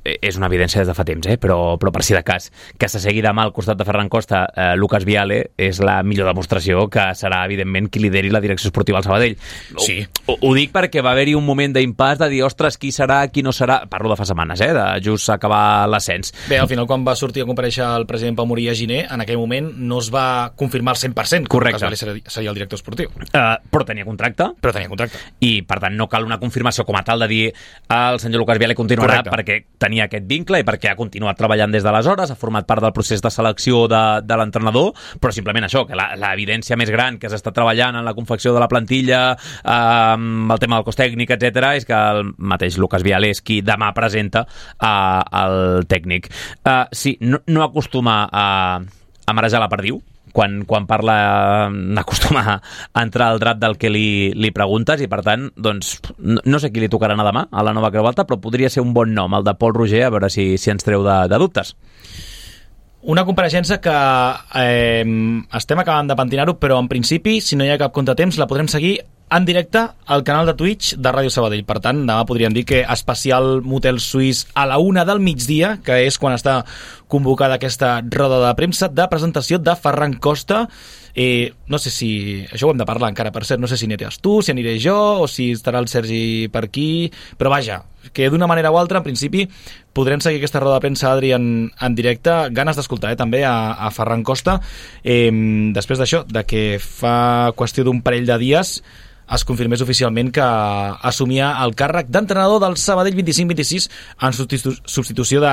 és una evidència des de fa temps, però per si de cas, que s'assegui demà al costat de Ferran Costa Lucas Viale és la millor demostració que serà, evidentment, qui lideri la direcció esportiva al Sabadell. Sí. Ho dic perquè va haver-hi un moment d'impàs de dir, ostres, qui serà, qui no serà... Parlo de fa setmanes, de just acabar l'ascens. Bé, al final, quan va sortir a comparèixer el president Pau Morí a Giner, en aquell moment no es va confirmar al 100%. Correcte. Que seria el director esportiu. Però tenia contracte. I, per tant, no cal una confirmació com a tal de dir el senyor Lucas Viale continuarà. Correcte. Perquè tenia aquest vincle i perquè ha continuat treballant des d'aleshores, ha format part del procés de selecció de l'entrenador, però simplement això, que l'evidència més gran que s'està treballant en la confecció de la plantilla, el tema del cos tècnic, etc., és que el mateix Lucas Viale és qui demà presenta el tècnic. Sí, no acostuma a marejar la perdiu, quan parla n'acostuma a entrar al drap del que li preguntes, i per tant, doncs, no sé qui li tocarà anar demà a la nova Creu Alta, però podria ser un bon nom, el de Pol Roger, a veure si ens treu de dubtes. Una compareixença que estem acabant de pentinar-ho, però en principi, si no hi ha cap contratemps, la podrem seguir en directe al canal de Twitch de Ràdio Sabadell. Per tant, demà podríem dir que especial motel suís a la 1 del migdia, que és quan està convocada aquesta roda de premsa de presentació de Ferran Costa. No sé si... Això ho hem de parlar encara, per cert. No sé si aniràs tu, si aniré jo, o si estarà el Sergi per aquí. Però vaja, que d'una manera o altra, en principi, podrem seguir aquesta roda de premsa, Adri, en directe. Ganes d'escoltar, també, a Ferran Costa. Després d'això, de que fa qüestió d'un parell de dies es confirmés oficialment que assumia el càrrec d'entrenador del Sabadell 25-26 en substitució de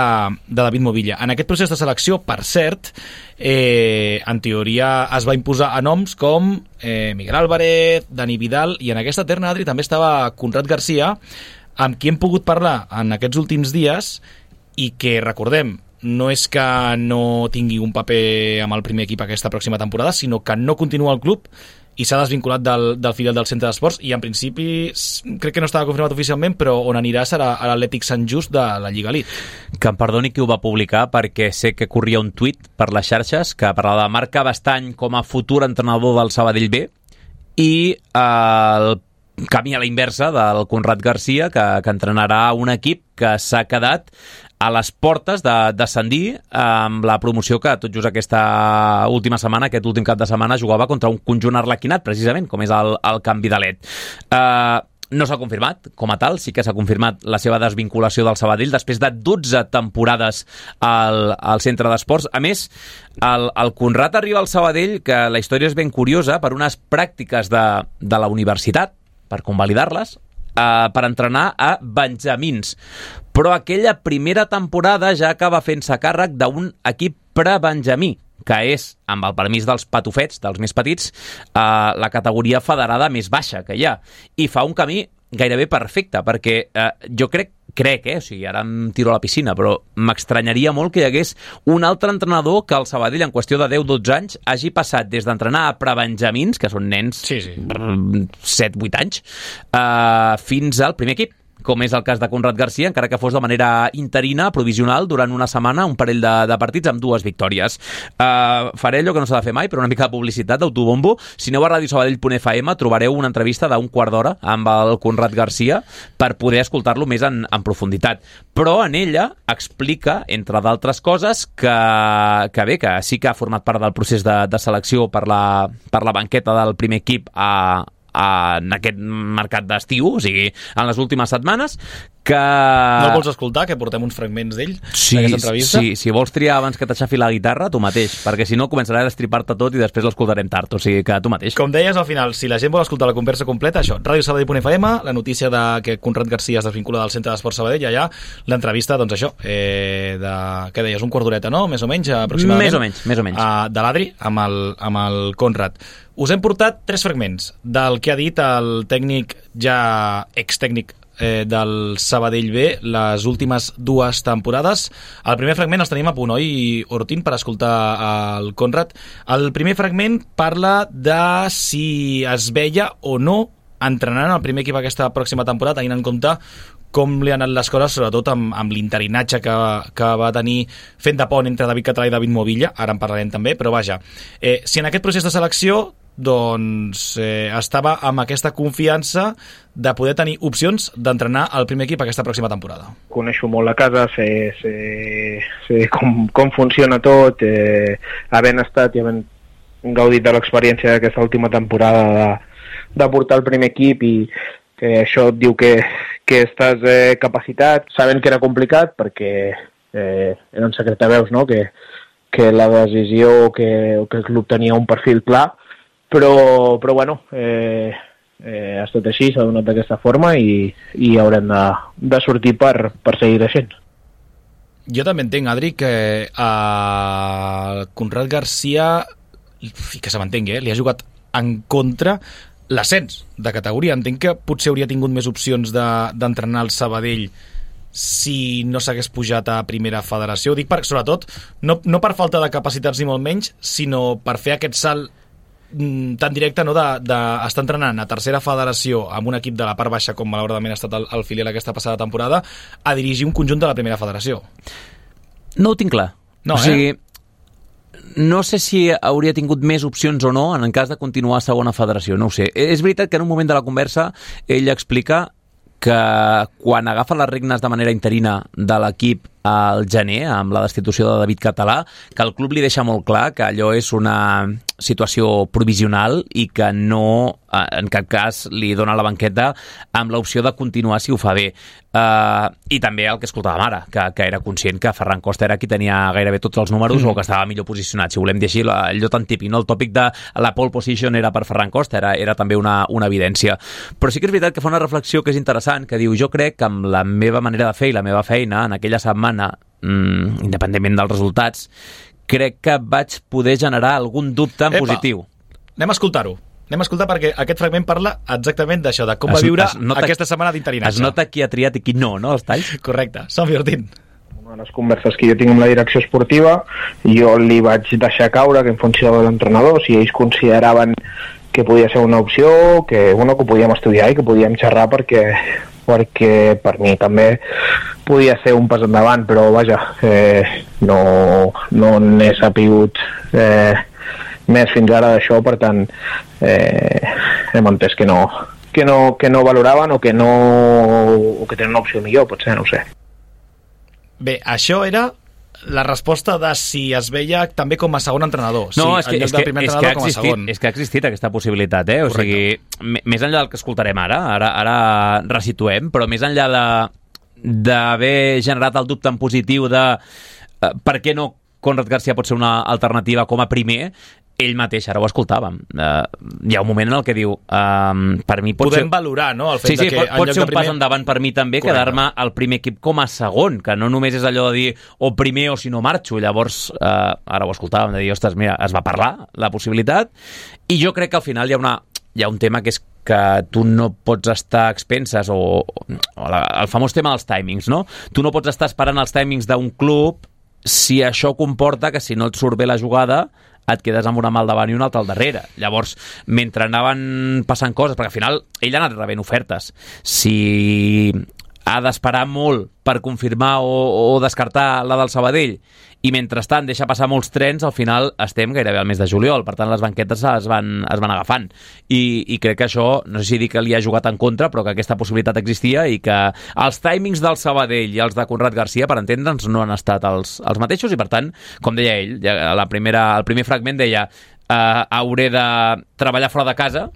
David Movilla. En aquest procés de selecció, per cert, en teoria es va imposar a noms com Miguel Álvarez, Dani Vidal, i en aquesta terna, Adri, també estava Conrad Garcia, amb qui hem pogut parlar en aquests últims dies, i que, recordem, no és que no tingui un paper amb el primer equip aquesta pròxima temporada, sinó que no continua al club i s'ha desvinculat del filial del Centre d'Esports, i en principi crec que no estava confirmat oficialment, però on anirà serà a l'Atlètic Sant Just de la Lliga Elite. Que em perdoni qui ho va publicar, perquè sé que corria un tuit per les xarxes que parlava de Marc Bastany com a futur entrenador del Sabadell B, i el camí a la inversa del Conrad Garcia, que entrenarà un equip que s'ha quedat a les portes de descendir amb la promoció que tot just aquesta última setmana, aquest últim cap de setmana, jugava contra un conjunt arlequinat, precisament, com és el Camp Vidalet. No s'ha confirmat com a tal, sí que s'ha confirmat la seva desvinculació del Sabadell després de 12 temporades al Centre d'Esports. A més, el Conrad arriba al Sabadell, que la història és ben curiosa, per unes pràctiques de la universitat, per convalidar-les, per entrenar a benjamins. Però aquella primera temporada ja acaba fent-se càrrec d'un equip prebenjamí, que és, amb el permís dels patufets, dels més petits, la categoria federada més baixa que hi ha. I fa un camí gairebé perfecte, perquè jo crec, o sigui, ara em tiro a la piscina, però m'estranyaria molt que hi hagués un altre entrenador que el Sabadell, en qüestió de 10-12 anys, hagi passat des d'entrenar a prebenjamins, que són nens 7-8 anys, fins al primer equip, com és el cas de Conrad Garcia, encara que fos de manera interina, provisional, durant una setmana, un parell de partits amb 2 victòries. Faré allò que no s'ha de fer mai, però una mica de publicitat, d'autobombo. Si aneu a radiosabadell.fm trobareu una entrevista d'1 quart d'hora amb el Conrad Garcia per poder escoltar-lo més en profunditat. Però en ella explica, entre d'altres coses, que bé, que sí que ha format part del procés de selecció per la banqueta del primer equip en aquest mercat d'estiu, o sigui, en les últimes setmanes, que... No el vols escoltar, que portem uns fragments d'ell, d'aquesta entrevista? Sí, si vols triar abans que t'aixafi la guitarra, tu mateix, perquè si no començarà a destripar-te tot i després l'escoltarem tard, o sigui que tu mateix. Com deies, al final, si la gent vol escoltar la conversa completa, això, radiosabadell.fm, la notícia de que Conrad Garcia es desvincula del Centre d'Esports Sabadell, i allà l'entrevista, doncs això, què deies, un quart d'horeta, no? Més o menys, aproximadament. Més o menys. De l'Adri, amb el Conrad. Us hem portat 3 fragments del que ha dit el tècnic, ja extècnic del Sabadell B, les últimes 2 temporades. El primer fragment els tenim a punt, oi, Ortín, per escoltar el Conrad. El primer fragment parla de si es veia o no entrenant el primer equip aquesta pròxima temporada, tenint en compte com li han anat les coses, sobretot amb l'interinatge que va tenir fent de pont entre David Català i David Movilla, ara en parlarem també, però vaja, si en aquest procés de selecció estava amb aquesta confiança de poder tenir opcions d'entrenar el primer equip aquesta pròxima temporada. Coneixo molt la casa, sé com funciona tot, havent estat i havent gaudit de l'experiència d'aquesta última temporada de portar el primer equip, i que això et diu que estàs capacitat, sabent que era complicat perquè era un secret de veus, no? que la decisió que el club tenia un perfil clar, però bueno, ha estat així, s'ha donat d'aquesta forma i haurem de sortir per seguir creixent. Jo també entenc, Adri, que a Conrad Garcia, i que se m'entengui, li ha jugat en contra l'ascens de categoria. Entenc que potser hauria tingut més opcions d'entrenar el Sabadell si no s'hagués pujat a primera federació. Ho dic sobretot, no per falta de capacitats ni molt menys, sinó per fer aquest salt tan directe, no, d'estar entrenant a tercera federació amb un equip de la part baixa, com malauradament ha estat el filial aquesta passada temporada, a dirigir un conjunt de la primera federació. No ho tinc clar. No, o sigui, no sé si hauria tingut més opcions o no en cas de continuar a segona federació, no ho sé. És veritat que en un moment de la conversa ell explica que quan agafa les regnes de manera interina de l'equip al gener, amb la destitució de David Català, que el club li deixa molt clar que allò és una situació provisional i que no, en cap cas, li dona la banqueta amb l'opció de continuar si ho fa bé. I també el que escoltàvem ara, que era conscient que Ferran Costa era qui tenia gairebé tots els números o que estava millor posicionat. Si volem dir així, allò tan típic, no? El tòpic de la pole position era per Ferran Costa, era també una evidència. Però sí que és veritat que fa una reflexió que és interessant, que diu, jo crec que amb la meva manera de fer i la meva feina en aquella setmana, independentment dels resultats, crec que vaig poder generar algun dubte en positiu. Anem a escoltar-ho. Anem a escoltar perquè aquest fragment parla exactament d'això, de com va viure aquesta setmana d'interinatge. Es nota qui ha triat i qui no, els talls? Correcte. Som Ortín. Una de les converses que jo tinc amb la direcció esportiva, jo li vaig deixar caure que en funció de l'entrenador, si ells consideraven que podia ser una opció, que ho podíem estudiar i que podíem xerrar perquè per mi també podia ser un pas endavant, però vaja, no n'he sapigut més fins ara d'això, per tant hem entès que no valoraven o que tenen una opció millor, potser, no ho sé. Bé, això era la resposta de si es veia també com a segon entrenador. No, sí, és que ha existit aquesta possibilitat, O sigui, més enllà del que escoltarem ara resituem, però més enllà d'haver generat el dubte en positiu de per què no Conrad Garcia pot ser una alternativa com a primer, ell mateix, ara ho escoltàvem, hi ha un moment en el que diu per mi podem valorar, no? El fet sí, que pot ser un pas endavant per mi també. Correcte. Quedar-me al primer equip com a segon, que no només és allò de dir o primer o si no marxo. Llavors, ara ho escoltàvem, de dir, ostres, mira, es va parlar la possibilitat, i jo crec que al final hi ha un tema que és que tu no pots estar a expenses o el famós tema dels timings, no? Tu no pots estar esperant els timings d'un club si això comporta que si no et surt bé la jugada et quedes amb una mà al davant i una altra al darrere. Llavors, mentre anaven passant coses, perquè al final ell ha anat rebent ofertes, si ha d'esperar molt per confirmar o descartar la del Sabadell, i mentrestant deixa passar molts trens, al final estem gairebé al mes de juliol, per tant les banquetes es van agafant, i crec que això, no sé si dir que li ha jugat en contra, però que aquesta possibilitat existia i que els timings del Sabadell i els de Conrad Garcia, per entendre'ns, no han estat els mateixos, i per tant, com deia ell, el primer fragment deia hauré de treballar fora de casa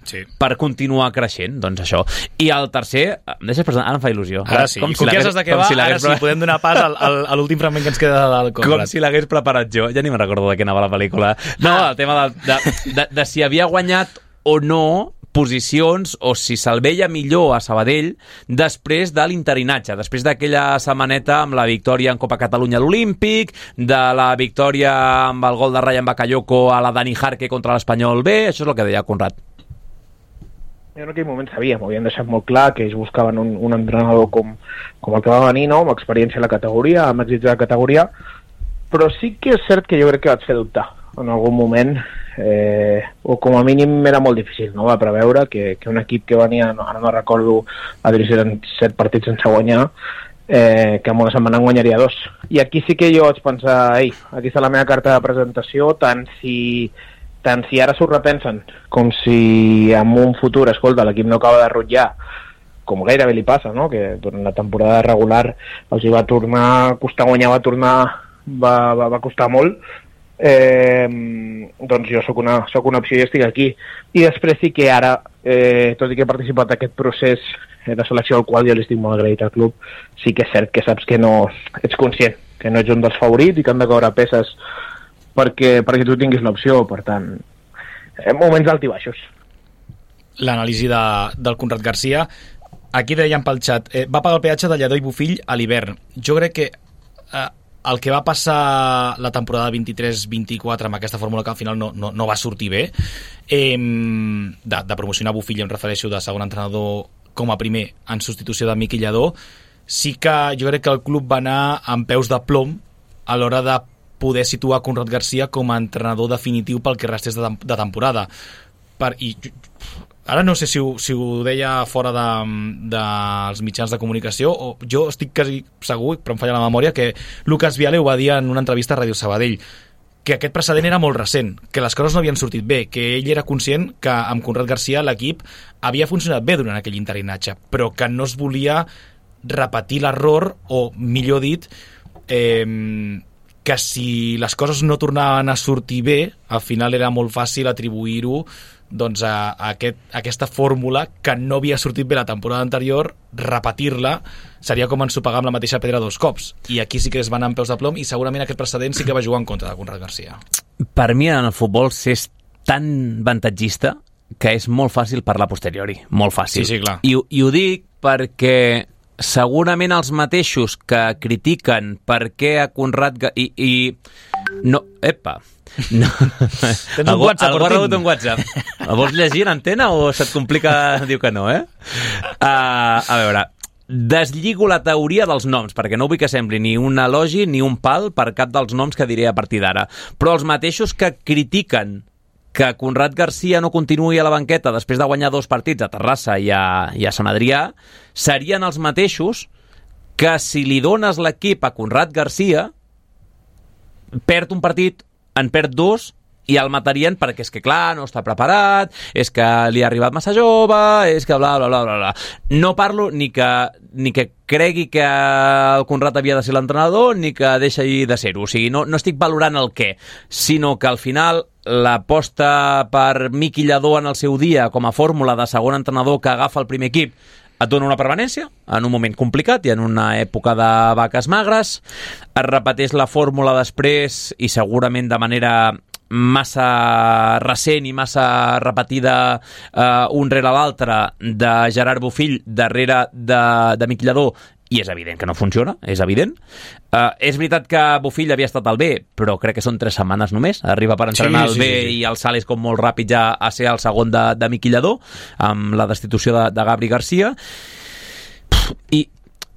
per continuar creixent, doncs això. I el tercer, em deixes presentar? Ara em fa il·lusió. Ara sí, com si de què va, ara sí, podem donar pas a l'últim fragment que ens queda del Conrad. Com si l'hagués preparat jo, ja ni me'n recordo de què anava la pel·lícula. No, el tema de si havia guanyat o no posicions, o si se'l veia millor a Sabadell després de l'interinatge, després d'aquella setmaneta amb la victòria en Copa Catalunya a l'Olímpic, de la victòria amb el gol de Ryan Bakayoko a la Dani Jarque contra l'Espanyol B. Això és el que deia Conrad. En aquell moment sabíem, ho havien deixat molt clar, que ells buscaven un entrenador com el que va venir, no? Amb experiència a la categoria, amb èxits de la categoria, però sí que és cert que jo crec que vaig fer dubtar en algun moment, o com a mínim era molt difícil, no? Va preveure que un equip que venia, ara no recordo, a dirigir 7 partits sense guanyar, que en una setmana en guanyaria 2. I aquí sí que jo vaig pensar, aquí està la meva carta de presentació, tant si tant si ara s'ho repensen com si en un futur, escolta, l'equip no acaba de rutllar, com gairebé li passa, no? Que durant la temporada regular els hi va tornar, costar guanyar, va costar molt, doncs jo sóc una opció i estic aquí. I després sí que ara, tot i que he participat en aquest procés de selecció al qual jo li estic molt agraït al club, sí que és cert que saps que no ets conscient, que no ets un dels favorits i que han de caure peces perquè tu tinguis l'opció. Per tant, moments d'alt i baixos. L'anàlisi del Conrad Garcia. Aquí deien pel xat, va pagar el peatge de Lledó i Bofill a l'hivern. Jo crec que el que va passar la temporada 23-24 amb aquesta fórmula que al final no va sortir bé, de promocionar Bofill, em refereixo, de segon entrenador com a primer en substitució de Miqui Lledó, sí que jo crec que el club va anar amb peus de plom a l'hora de poder situar Conrad Garcia com a entrenador definitiu pel que restés de temporada. Ara no sé si ho deia fora dels mitjans de comunicació, o jo estic quasi segur, però em falla la memòria, que Lucas Viale ho va dir en una entrevista a Ràdio Sabadell, que aquest precedent era molt recent, que les coses no havien sortit bé, que ell era conscient que amb Conrad Garcia l'equip havia funcionat bé durant aquell interinatge, però que no es volia repetir l'error, o millor dit, que si les coses no tornaven a sortir bé, al final era molt fàcil atribuir-ho doncs a aquesta fórmula que no havia sortit bé la temporada anterior, repetir-la seria com ensopegar amb la mateixa pedra dos cops, i aquí sí que es van anar amb peus de plom, i segurament aquest precedent sí que va jugar en contra de Conrad Garcia. Per mi en el futbol s'és tan avantatgista que és molt fàcil parlar a posteriori, molt fàcil. Sí, clar. I ho dic perquè segurament els mateixos que critiquen per què a Conrad no, epa, no. Tens un WhatsApp, algú ha rebut un WhatsApp. El vols llegir en antena o se't complica? Diu que no, a veure, deslligo la teoria dels noms, perquè no vull que sembli ni un elogi ni un pal per cap dels noms que diré a partir d'ara, però els mateixos que critiquen que Conrad Garcia no continuï a la banqueta després de guanyar 2 partits a Terrassa i a Sant Adrià serien els mateixos que si li dones l'equip a Conrad Garcia perd un partit, en perd 2 i el matarien perquè és que clar, no està preparat, és que li ha arribat massa jove, és que bla bla bla bla. No parlo ni que cregui que el Conrad havia de ser l'entrenador ni que deixi de ser-ho, o sigui, no estic valorant el què, sinó que al final l'aposta per Miqui Lledó en el seu dia com a fórmula de segon entrenador que agafa el primer equip et dona una permanència en un moment complicat i en una època de vaques magres, es repeteix la fórmula després i segurament de manera massa recent i massa repetida un rere l'altre de Gerard Bofill darrere de Miqui Lledó, i és evident que no funciona, és evident. És veritat que Bofill havia estat al B, però crec que són 3 setmanes només, arriba per entrenar al B i el salt és com molt ràpid ja a ser el segon de Miqui Lledó, amb la destitució de Gabri Garcia.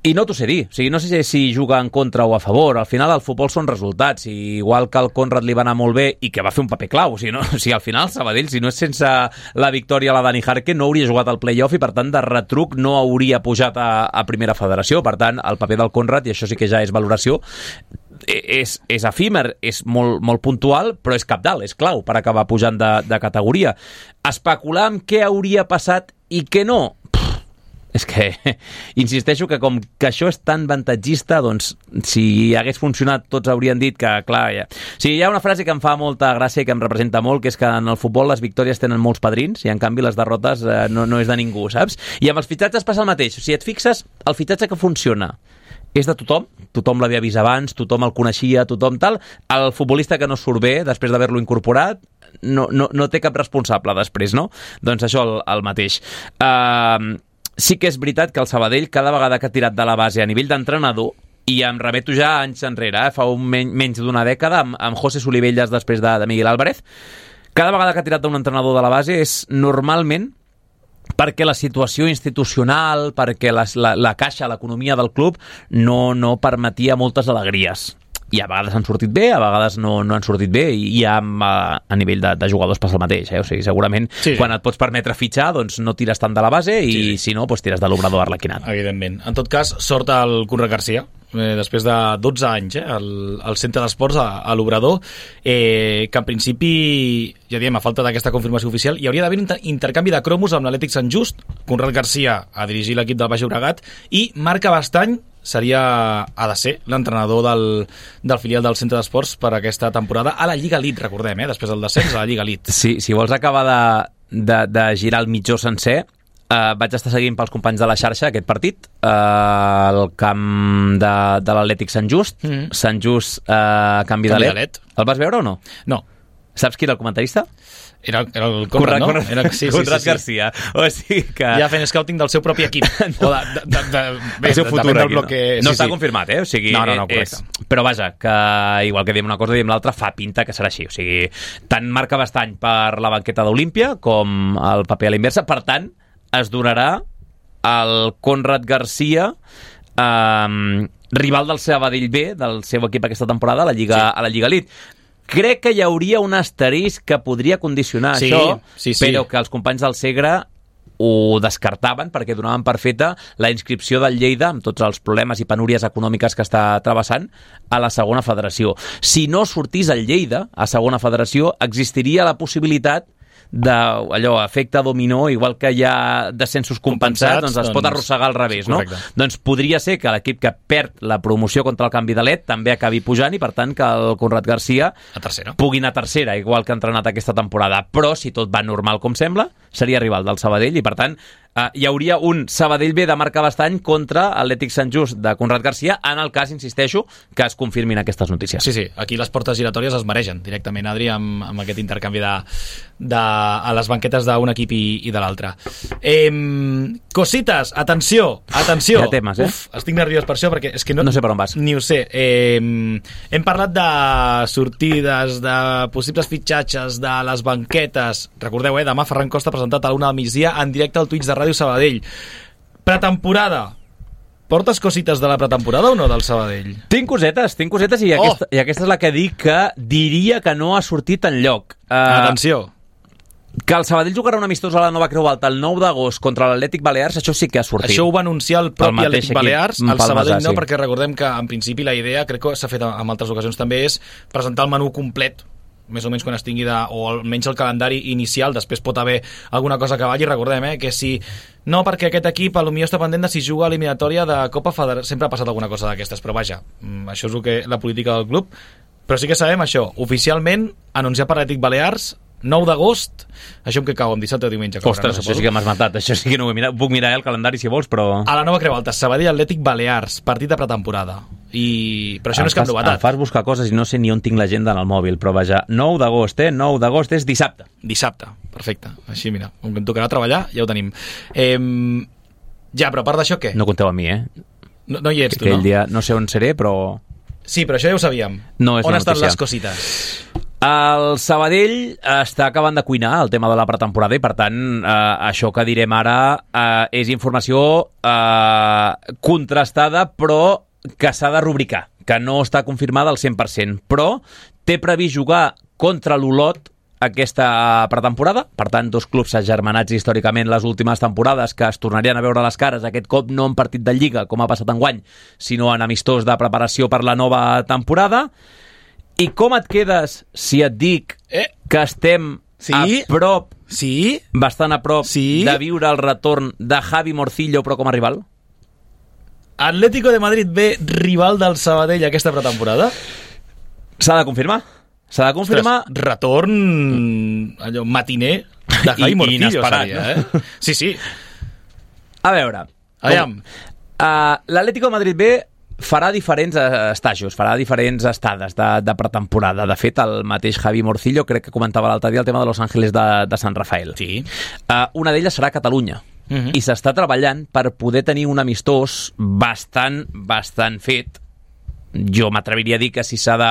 I no t'ho sé dir, o sigui, no sé si juga en contra o a favor, al final el futbol són resultats, i igual que al Conrad li va anar molt bé i que va fer un paper clau, o sigui, al final Sabadell, si no és sense la victòria a la Dani Jarque, no hauria jugat al play-off i per tant de retruc no hauria pujat a primera federació, per tant el paper del Conrad, i això sí que ja és valoració, és efímer, és molt puntual, però és cabdal, és clau per acabar pujant de categoria. Especular amb què hauria passat i què no, és que insisteixo que com que això és tan avantatgista, doncs si hagués funcionat tots haurien dit que, clar, ja... O sigui, hi ha una frase que em fa molta gràcia i que em representa molt, que és que en el futbol les victòries tenen molts padrins i en canvi les derrotes no és de ningú, saps? I amb els fitxatges passa el mateix. Si et fixes, el fitxatge que funciona és de tothom l'havia vist abans, tothom el coneixia, tothom tal. El futbolista que no surt bé després d'haver-lo incorporat no té cap responsable després, no? Doncs això el mateix. Sí que és veritat que el Sabadell, cada vegada que ha tirat de la base a nivell d'entrenador, i em remeto ja anys enrere, fa menys d'una dècada, amb José Solivelles després de Miguel Álvarez, cada vegada que ha tirat d'un entrenador de la base és normalment perquè la situació institucional, perquè la caixa, l'economia del club no permetia moltes alegries. I a vegades han sortit bé, a vegades no han sortit bé, i ja a nivell de jugadors passa el mateix, o sigui, segurament quan et pots permetre fitxar, doncs no tires tant de la base i si no, doncs tires de l'obrador arlequinat. Evidentment. En tot cas, sort al Conrad Garcia, després de 12 anys, al centre d'esports, a l'Obrador, que en principi, ja diem, a falta d'aquesta confirmació oficial, hi hauria d'haver un intercanvi de cromos amb l'Atlètic Sant Just, Conrad Garcia a dirigir l'equip del Baix Llobregat, i Marc Abastany ha de ser l'entrenador del filial del centre d'esports per aquesta temporada a la Lliga Elite, recordem, després del descens a la Lliga Elite. Sí, si vols acabar de girar el mitjó sencer, vaig estar seguint pels companys de la xarxa aquest partit, al camp de l'Atlètic Sant Just. Sant Just, canvi de LED. El vas veure o no? No. Saps qui era el comentarista? Era el Conrad, no? Conrad Garcia. O sigui que... Ja fent scouting del seu propi equip. O el seu futur aquí. No està confirmat, O sigui, no, correcte. Però vaja, que igual que diem una cosa, diem l'altra, fa pinta que serà així. O sigui, tant Marc Abastany per la banqueta d'Olímpia com el paper a la inversa. Per tant, es donarà el Conrad Garcia, rival del Sabadell B, del seu equip aquesta temporada, a la Lliga Elite. Crec que hi hauria un asterisc que podria condicionar això, però que els companys del Segre ho descartaven perquè donaven per feta la inscripció del Lleida, amb tots els problemes i penúries econòmiques que està travessant, a la segona federació. Si no sortís el Lleida a segona federació, existiria la possibilitat d'allò, efecte dominó, igual que hi ha descensos compensats, doncs es pot arrossegar al revés, no? Doncs podria ser que l'equip que perd la promoció contra el canvi de LED també acabi pujant i per tant que el Conrad Garcia pugui anar a tercera, igual que ha entrenat aquesta temporada. Però si tot va normal com sembla, seria rival del Sabadell i per tant hi hauria un Sabadell B de Marc Abastany contra Atlètic Sant Just de Conrad Garcia, en el cas, insisteixo, que es confirmin aquestes notícies. Sí, aquí les portes giratòries es mereixen directament, Adri, amb aquest intercanvi a les banquetes d'un equip i de l'altre. Cosites, atenció! Ja temes, Uf, estic nerviós per això, perquè és que no sé per on vas. Ni ho sé. Hem parlat de sortides, de possibles fitxatges, de les banquetes. Recordeu, demà Ferran Costa ha presentat a l'una del migdia en directe al Twitch de Ràdio Sabadell. Pretemporada. Portes cosites de la pretemporada o no del Sabadell? Tinc cosetes i aquesta és la que dic que diria que no ha sortit enlloc. Atenció. Que el Sabadell jugarà un amistós a la Nova Creu Alta el 9 d'agost contra l'Atlètic Balears, això sí que ha sortit. Això ho va anunciar el propi Atlètic Balears, el Sabadell no, perquè recordem que en principi la idea, crec que s'ha fet en altres ocasions també, és presentar el menú complet més o menys quan es tingui o almenys el calendari inicial, després pot haver alguna cosa que valli, recordem, que si no, perquè aquest equip potser està pendent de si juga a l'eliminatòria de Copa Federació, sempre ha passat alguna cosa d'aquestes, però vaja, això és la política del club, però sí que sabem això, oficialment anunciat per l'Atlètic Balears 9 d'agost, això en què cau, amb dissabte o diumenge? Ostres, això sí que m'has matat, això sí que no ho he mirat, puc mirar el calendari si vols, però... A la Nova Creu Alta, Sabadell Atlètic Balears, partit de pretemporada. Però això no és cap novetat. Em fas buscar coses i no sé ni on tinc l'agenda en el mòbil, però vaja, 9 d'agost, 9 d'agost és dissabte. Dissabte, perfecte. Així, mira, com que em tocarà treballar, ja ho tenim. Ja, però a part d'això, què? No compteu amb mi, No hi ets, tu, no? Aquell dia no sé on seré, però... Sí, però això ja ho sabíem. No és on una estan notícia. Les cosites? El Sabadell està acabant de cuinar el tema de la pretemporada i per tant això que direm ara és informació contrastada però que s'ha de rubricar, que no està confirmada al 100%, però té previst jugar contra l'Olot aquesta pretemporada, per tant dos clubs agermanats històricament les últimes temporades que es tornarien a veure les cares, aquest cop no en partit de Lliga com ha passat enguany, sinó en amistós de preparació per la nova temporada. I com et quedes si et dic que estem a prop, bastant a prop, de viure el retorn de Javi Morcillo, però com a rival? Atlético de Madrid B, rival del Sabadell aquesta pretemporada? S'ha de confirmar. S'ha de confirmar. Ostres, retorn allò matiner de Javi Morcillo. Inesperat, seria, Sí. A veure. L'Atlético de Madrid B farà diferents estajos, farà diferents estades de pretemporada. De fet, el mateix Javi Morcillo crec que comentava l'altre dia el tema de Los Ángeles de Sant Rafael. Sí. Una d'elles serà Catalunya. I s'està treballant per poder tenir un amistós bastant fet. Jo m'atreviria a dir que si s'ha de...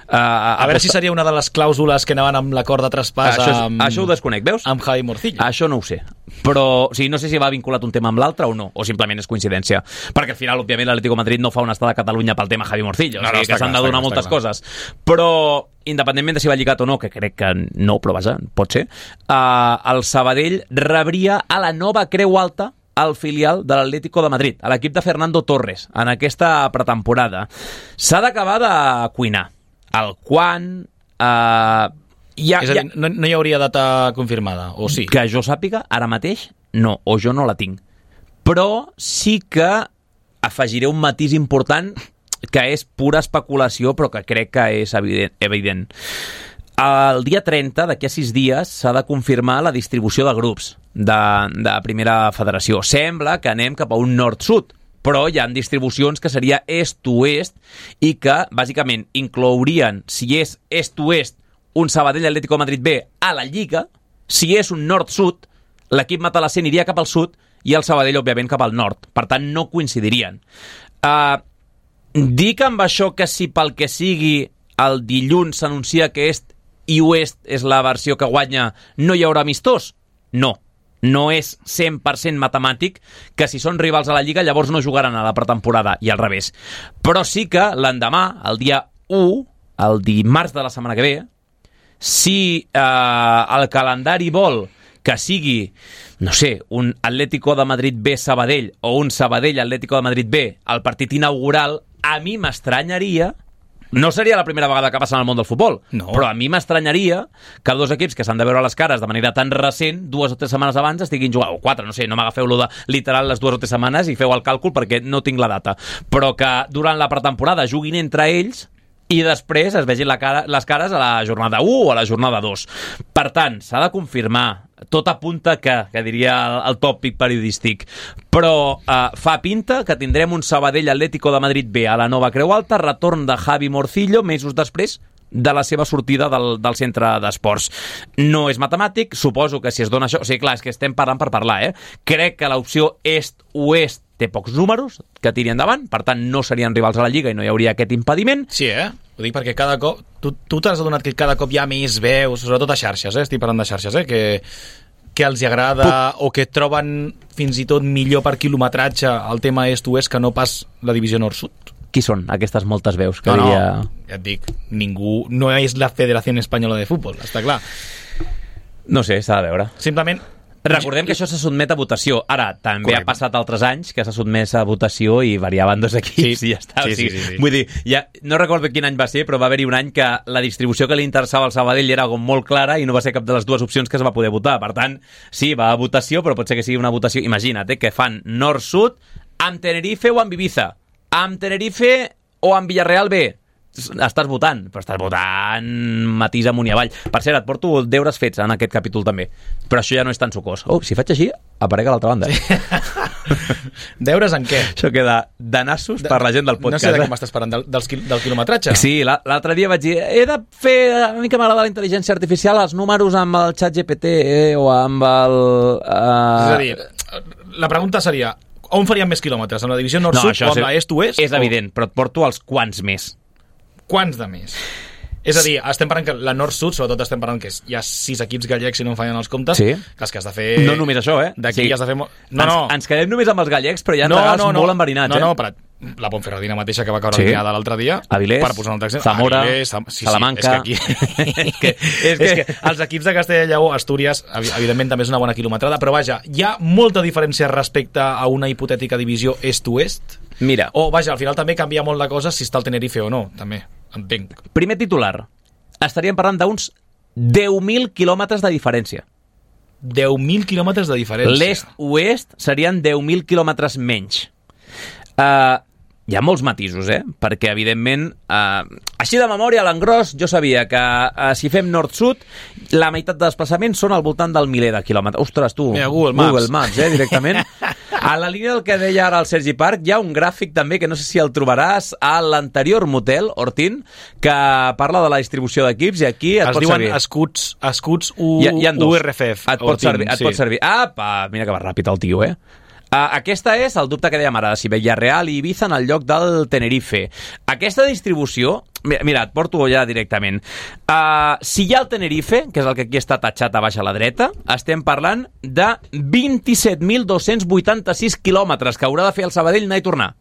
a veure si seria una de les clàusules que anaven amb l'acord de traspàs això ho desconec, veus? Amb Javi Morcillo. Això no ho sé. Però no sé si va vinculat un tema amb l'altre o no, o simplement és coincidència. Perquè al final, òbviament, l'Atlético de Madrid no fa una estada a Catalunya pel tema Javi Morcillo. O sigui que s'han de donar moltes coses. Però, independentment de si va lligat o no, que crec que no, però vaja, pot ser, el Sabadell rebria a la Nova Creu Alta al filial de l'Atlético de Madrid, a l'equip de Fernando Torres, en aquesta pretemporada. S'ha d'acabar de cuinar. El quan... És a dir, no hi hauria data confirmada, o sí? Que jo sàpiga, ara mateix, no, o jo no la tinc. Però sí que afegiré un matís important que és pura especulació, però que crec que és evident. El dia 30, d'aquí a 6 dies, s'ha de confirmar la distribució de grups de primera federació. Sembla que anem cap a un nord-sud, però hi ha distribucions que seria est-oest i que, bàsicament, inclourien, si és est-oest, un Sabadell Atlético de Madrid B a la Lliga, si és un nord-sud, l'equip matalassent iria cap al sud i el Sabadell, òbviament, cap al nord. Per tant, no coincidirien. Dic amb això que si pel que sigui el dilluns s'anuncia que est i oest és la versió que guanya, no hi haurà amistós? No. No és 100% matemàtic que si són rivals a la Lliga llavors no jugaran a la pretemporada i al revés. Però sí que l'endemà, el dia 1, el dimarts de la setmana que ve, si el calendari vol que sigui, no sé, un Atlético de Madrid B Sabadell o un Sabadell Atlético de Madrid B al partit inaugural, a mi m'estranyaria, no seria la primera vegada que passa en el món del futbol, no. Però a mi m'estranyaria que dos equips que s'han de veure les cares de manera tan recent, 2 o 3 setmanes abans, estiguin jugant, o 4, no sé, no m'agafeu-lo de literal les 2 o 3 setmanes i feu el càlcul perquè no tinc la data, però que durant la pretemporada juguin entre ells i després es vegin les cares a la jornada 1 o a la jornada 2. Per tant, s'ha de confirmar. Tot apunta que diria el tòpic periodístic. Però fa pinta que tindrem un Sabadell Atlético de Madrid B a la Nova Creu Alta, retorn de Javi Morcillo mesos després de la seva sortida del centre d'esports. No és matemàtic, suposo que si es dona això... O sigui, clar, és que estem parlant per parlar, Crec que l'opció est-oest té pocs números que tiri endavant, per tant no serien rivals a la Lliga i no hi hauria aquest impediment. Sí, Ho dic perquè cada cop... Tu t'has adonat que cada cop hi ha més veus, sobretot a xarxes, estic parlant de xarxes, que els agrada o que troben fins i tot millor per quilometratge el tema est-oest que no pas la divisió nord-sud. Qui són aquestes moltes veus? Que no, ja et dic, ningú... No és la Federació Espanyola de Futbol, està clar. No sé, s'ha de veure. Simplement... Recordem que això se sotmet a votació. Ara, també ha passat altres anys que s'ha sotmès a votació i variaven 2 equips i ja està. Sí. Vull dir, no recordo quin any va ser, però va haver-hi un any que la distribució que li interessava al Sabadell era molt clara i no va ser cap de les 2 opcions que es va poder votar. Per tant, sí, va a votació, però pot ser que sigui una votació... Imagina't, que fan nord-sud amb Tenerife o amb Ibiza, amb Tenerife o amb Villarreal B. Estàs votant, però estàs votant matís amunt i avall. Per cert, et porto deures fets en aquest capítol també, però això ja no és tan sucós. Si faig així, aparec a l'altra banda. Deures en què? Això queda de nassos per la gent del podcast. No sé de què m'estàs parlant, del quilometratge? Sí, l'altre dia vaig dir, he de fer, a mi que m'agrada la intel·ligència artificial, els números amb el xat GPT o amb el... És a dir, la pregunta seria, on faríem més quilòmetres? Amb la divisió nord-sud o amb la est-oest? És evident, però et porto els quants més. Quants de més? És a dir, estem parlant que la nord-sud, sobretot estem parlant que hi ha 6 equips gallecs si no em fallen els comptes, que has de fer... No només això, D'aquí has de fer... Ens quedem només amb els gallecs, però hi ha regals molt enverinats, la Ponferradina mateixa que va caure eliminada l'altre dia, Avilés, per posar un altre exemple, Zamora, Salamanca... És que els equips de Castella i Lleó, Astúries, evidentment també és una bona quilometrada, però vaja, hi ha molta diferència respecte a una hipotètica divisió est-oest? Mira. O, vaja, al final també canvia molt la cosa si està el Tenerife o no, també, entenc. Primer titular. Estaríem parlant d'uns 10.000 quilòmetres de diferència. 10.000 quilòmetres de diferència. L'est-oest serien 10.000 quilòmetres menys. Hi ha molts matisos, perquè, evidentment, així de memòria, a l'engròs, jo sabia que si fem nord-sud, la meitat de desplaçaments són al voltant del miler de quilòmetres. Ostres, tu, mira, Google Maps, directament. A la línia del que deia ara el Sergi Parc, hi ha un gràfic també, que no sé si el trobaràs, a l'anterior motel, Hortín, que parla de la distribució d'equips, i aquí et pot servir. Es diuen escuts URFF. Et pot servir. Apa, mira que va ràpid el tio, Aquesta és el dubte que dèiem ara, si Villarreal i Ibiza en el lloc del Tenerife. Aquesta distribució, mira, et porto ja directament. Si hi ha el Tenerife, que és el que aquí està tatxat a baix a la dreta, estem parlant de 27.286 quilòmetres que haurà de fer el Sabadell anar i tornar.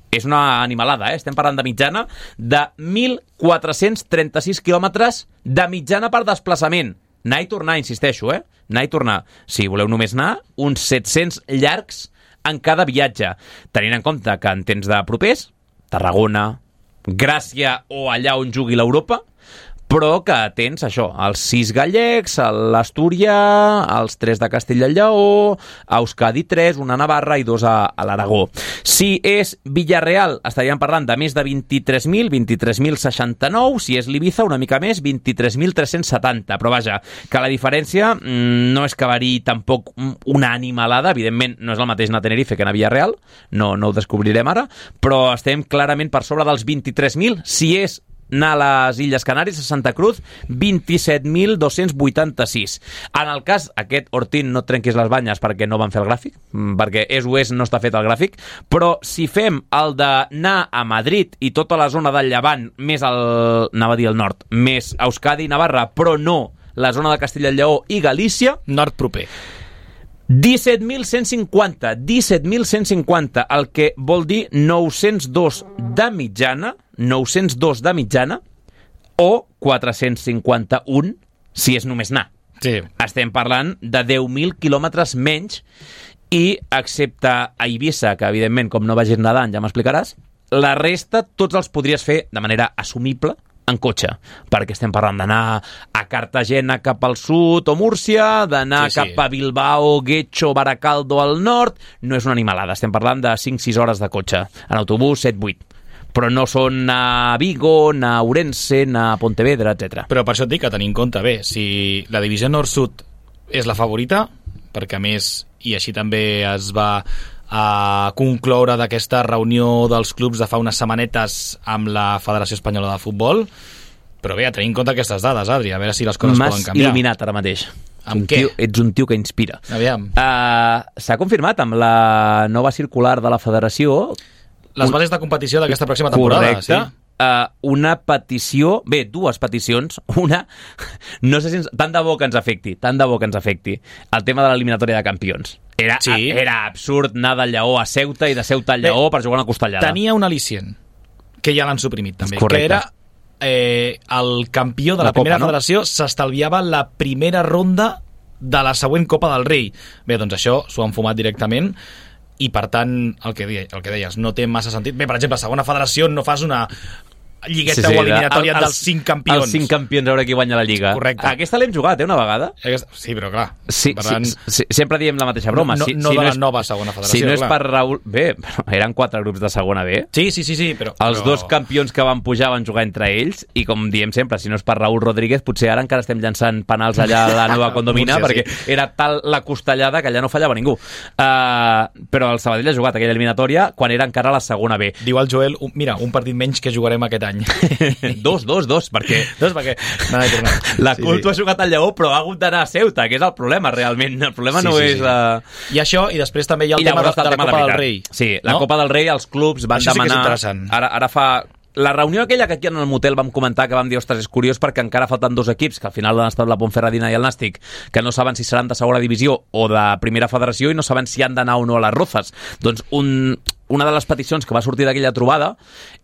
És una animalada, estem parlant de mitjana de 1.436 quilòmetres de mitjana per desplaçament. Anar i tornar, insisteixo, anar i tornar. Si voleu només anar, uns 700 llargs en cada viatge, tenint en compte que en temps de propers, Tarragona, Gràcia o allà on jugui l'Europa, però que tens això, els 6 gallecs, l'Astúria, els 3 de Castella i Lleó, a Euskadi 3, una a Navarra i 2 a l'Aragó. Si és Villarreal, estaríem parlant de més de 23.000, 23.069, si és l'Ibiza, una mica més, 23.370. Però vaja, que la diferència no és que variï tampoc una animalada, evidentment no és el mateix anar a Tenerife que anar a Villarreal, no ho descobrirem ara, però estem clarament per sobre dels 23.000, si és anar a les Illes Canàries, a Santa Cruz, 27.286. En el cas, aquest Ortín, no et trenquis les banyes perquè no van fer el gràfic, perquè és o és, no està fet el gràfic, però si fem el d'anar a Madrid i tota la zona del Llevant, més anava a dir el nord, més Euskadi i Navarra, però no la zona de Castella i Lleó i Galícia, nord proper. 17.150, el que vol dir 902 de mitjana, o 451 si és només anar. Sí. Estem parlant de 10.000 quilòmetres menys i, excepte a Eivissa, que evidentment, com no vagis nedant, ja m'explicaràs, la resta tots els podries fer de manera assumible en cotxe, perquè estem parlant d'anar a Cartagena cap al sud o Múrcia, d'anar cap a Bilbao, Guecho, Baracaldo al nord, no és una animalada, estem parlant de 5-6 hores de cotxe, en autobús 7-8, però no són a Vigo, a Ourense, a Pontevedra, etc. Però per això et dic que tenir en compte, bé, si la divisió nord-sud és la favorita, perquè a més, i així també es va a concloure d'aquesta reunió dels clubs de fa unes setmanetes amb la Federació Espanyola de Futbol, però bé, a tenir en compte aquestes dades, Adri, a veure si les coses poden canviar. M'has il·luminat ara mateix. Amb què? Ets un tio que inspira. Aviam. S'ha confirmat amb la nova circular de la Federació les bases de competició d'aquesta pròxima temporada. Correcte. Sí? Una petició, dues peticions, una, no sé si tant de bo que ens afecti, el tema de l'eliminatòria de campions. Era absurd anar del Lleó a Ceuta i de Ceuta al Lleó per jugar una costellada. Tenia un al·licient, que ja l'han suprimit també, correcte, que era el campió de la primera federació s'estalviava la primera ronda de la següent Copa del Rei. Bé, doncs això s'ho han fumat directament i per tant, el que deies, no té massa sentit. Bé, per exemple, a segona federació no fas una lligueta o eliminatòria dels 5 campions. Els 5 campions, a veure qui guanya la Lliga. Correcte. Aquesta l'hem jugat, una vegada. Sí, però clar. Sempre diem la mateixa broma. No de la nova segona federació, si no és per Raül... Bé, eren 4 grups de segona B. Sí, però... Els dos campions que van pujar van jugar entre ells i, com diem sempre, si no és per Raül Rodríguez, potser ara encara estem llançant penals allà a la nova condomina, perquè era tal la costellada que allà no fallava ningú. Però el Sabadell ha jugat aquella eliminatòria quan era encara la segona B. Diu el Joel, mira, un partit menys que jugarem aquest any. Dos, perquè la Culto ha jugat al Lleó però ha hagut d'anar a Ceuta, que és el problema realment, el problema no és i això, i després també hi ha el tema de la Copa del Rei. Sí, la Copa del Rei, els clubs van demanar, ara fa la reunió aquella que aquí en el motel vam comentar, que vam dir, ostres, és curiós perquè encara falten 2 equips, que al final han estat la Ponferradina i el Nàstic, que no saben si seran de segona divisió o de primera federació i no saben si han d'anar o no a les Rozas. Doncs una de les peticions que va sortir d'aquella trobada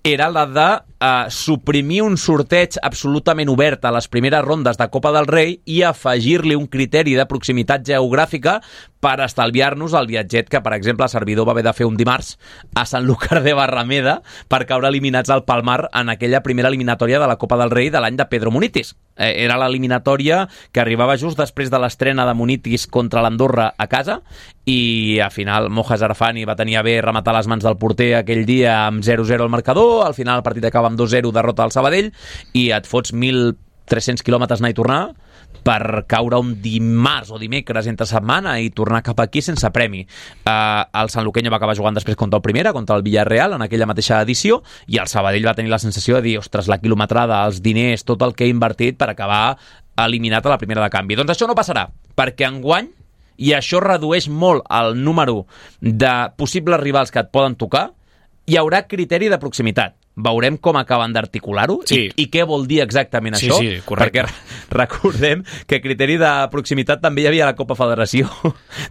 era la de suprimir un sorteig absolutament obert a les primeres rondes de Copa del Rei i afegir-li un criteri de proximitat geogràfica per estalviar-nos el viatget que, per exemple, el servidor va haver de fer un dimarts a Sanlúcar de Barrameda per caure eliminats al Palmar en aquella primera eliminatòria de la Copa del Rei de l'any de Pedro Munitis. Era l'eliminatòria que arribava just després de l'estrena de Munitis contra l'Andorra a casa i al final Moja Zarfani va tenir a bé rematar les mans del porter aquell dia amb 0-0 al marcador, al final el partit acaba amb 2-0 derrota al Sabadell i et fots 1.300 quilòmetres anar i tornar per caure un dimarts o dimecres entre setmana i tornar cap aquí sense premi. El Sanluqueño va acabar jugant després contra el Primera, contra el Villarreal, en aquella mateixa edició, i el Sabadell va tenir la sensació de dir, ostres, la quilometrada, els diners, tot el que he invertit per acabar eliminat a la primera de canvi. Doncs això no passarà, perquè enguany, i això redueix molt el número de possibles rivals que et poden tocar, hi haurà criteri de proximitat. veurem com acaben d'articular-ho i què vol dir exactament això. Sí, correcte. Perquè recordem que a criteri de proximitat també hi havia la Copa Federació.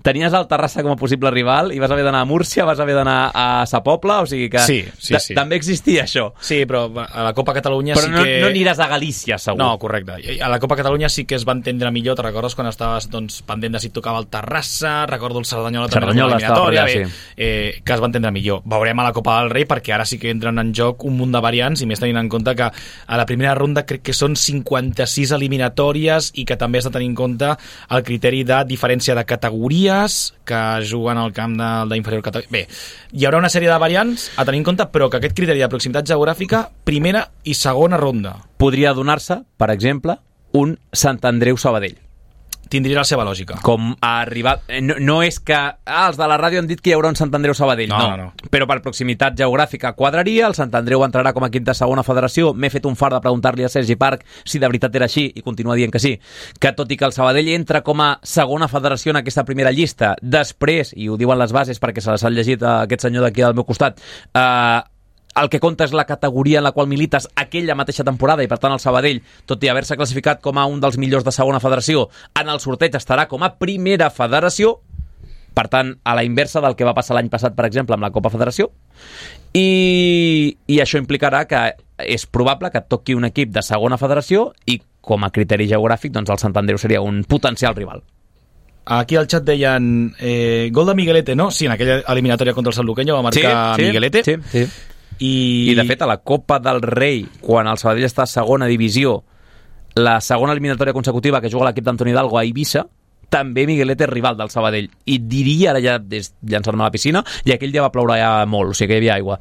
Tenies el Terrassa com a possible rival i vas haver d'anar a Múrcia, vas haver d'anar a Sa Pobla, o sigui que sí. també existia això. Sí, però a la Copa Catalunya però sí que... no aniràs a Galícia, segur. No, correcte. A la Copa Catalunya sí que es va entendre millor. Te'n recordes quan estaves pendent de si et tocava el Terrassa, recordo el Cerdanyola també l'eliminatòria, que es va entendre millor. Veurem a la Copa del Rei perquè ara sí que entren en joc un munt de variants i més tenint en compte que a la primera ronda crec que són 56 eliminatòries i que també has de tenir en compte el criteri de diferència de categories que juguen al camp d'inferior categoria. Bé, hi haurà una sèrie de variants a tenir en compte, però que aquest criteri de proximitat geogràfica, primera i segona ronda. Podria donar-se, per exemple, un Sant Andreu-Sabadell. Tindria la seva lògica. Com a rival... No és que els de la ràdio han dit que hi haurà un Sant Andreu-Sabadell, no. Però per proximitat geogràfica quadraria, el Sant Andreu entrarà com a quinta segona federació. M'he fet un fart de preguntar-li a Sergi Parc si de veritat era així, i continua dient que sí, que tot i que el Sabadell entra com a segona federació en aquesta primera llista, després, i ho diuen les bases perquè se les ha llegit aquest senyor d'aquí al meu costat, el que compta és la categoria en la qual milites aquella mateixa temporada i per tant el Sabadell, tot i haver-se classificat com a un dels millors de segona federació, en el sorteig estarà com a primera federació, per tant a la inversa del que va passar l'any passat per exemple amb la Copa Federació, i això implicarà que és probable que et toqui un equip de segona federació i com a criteri geogràfic doncs el Sant Andreu seria un potencial rival. Aquí al xat deien gol de Miguelete, no? Sí, en aquella eliminatòria contra el Sanluqueño va marcar Miguelete. Sí. I de fet a la Copa del Rei, quan el Sabadell està a segona divisió, la segona eliminatòria consecutiva que juga l'equip d'Antoni Hidalgo a Eivissa, també Miguelete és rival del Sabadell, i diria, ara ja llançar-me a la piscina, i aquell dia va ploure ja molt, o sigui que hi havia aigua,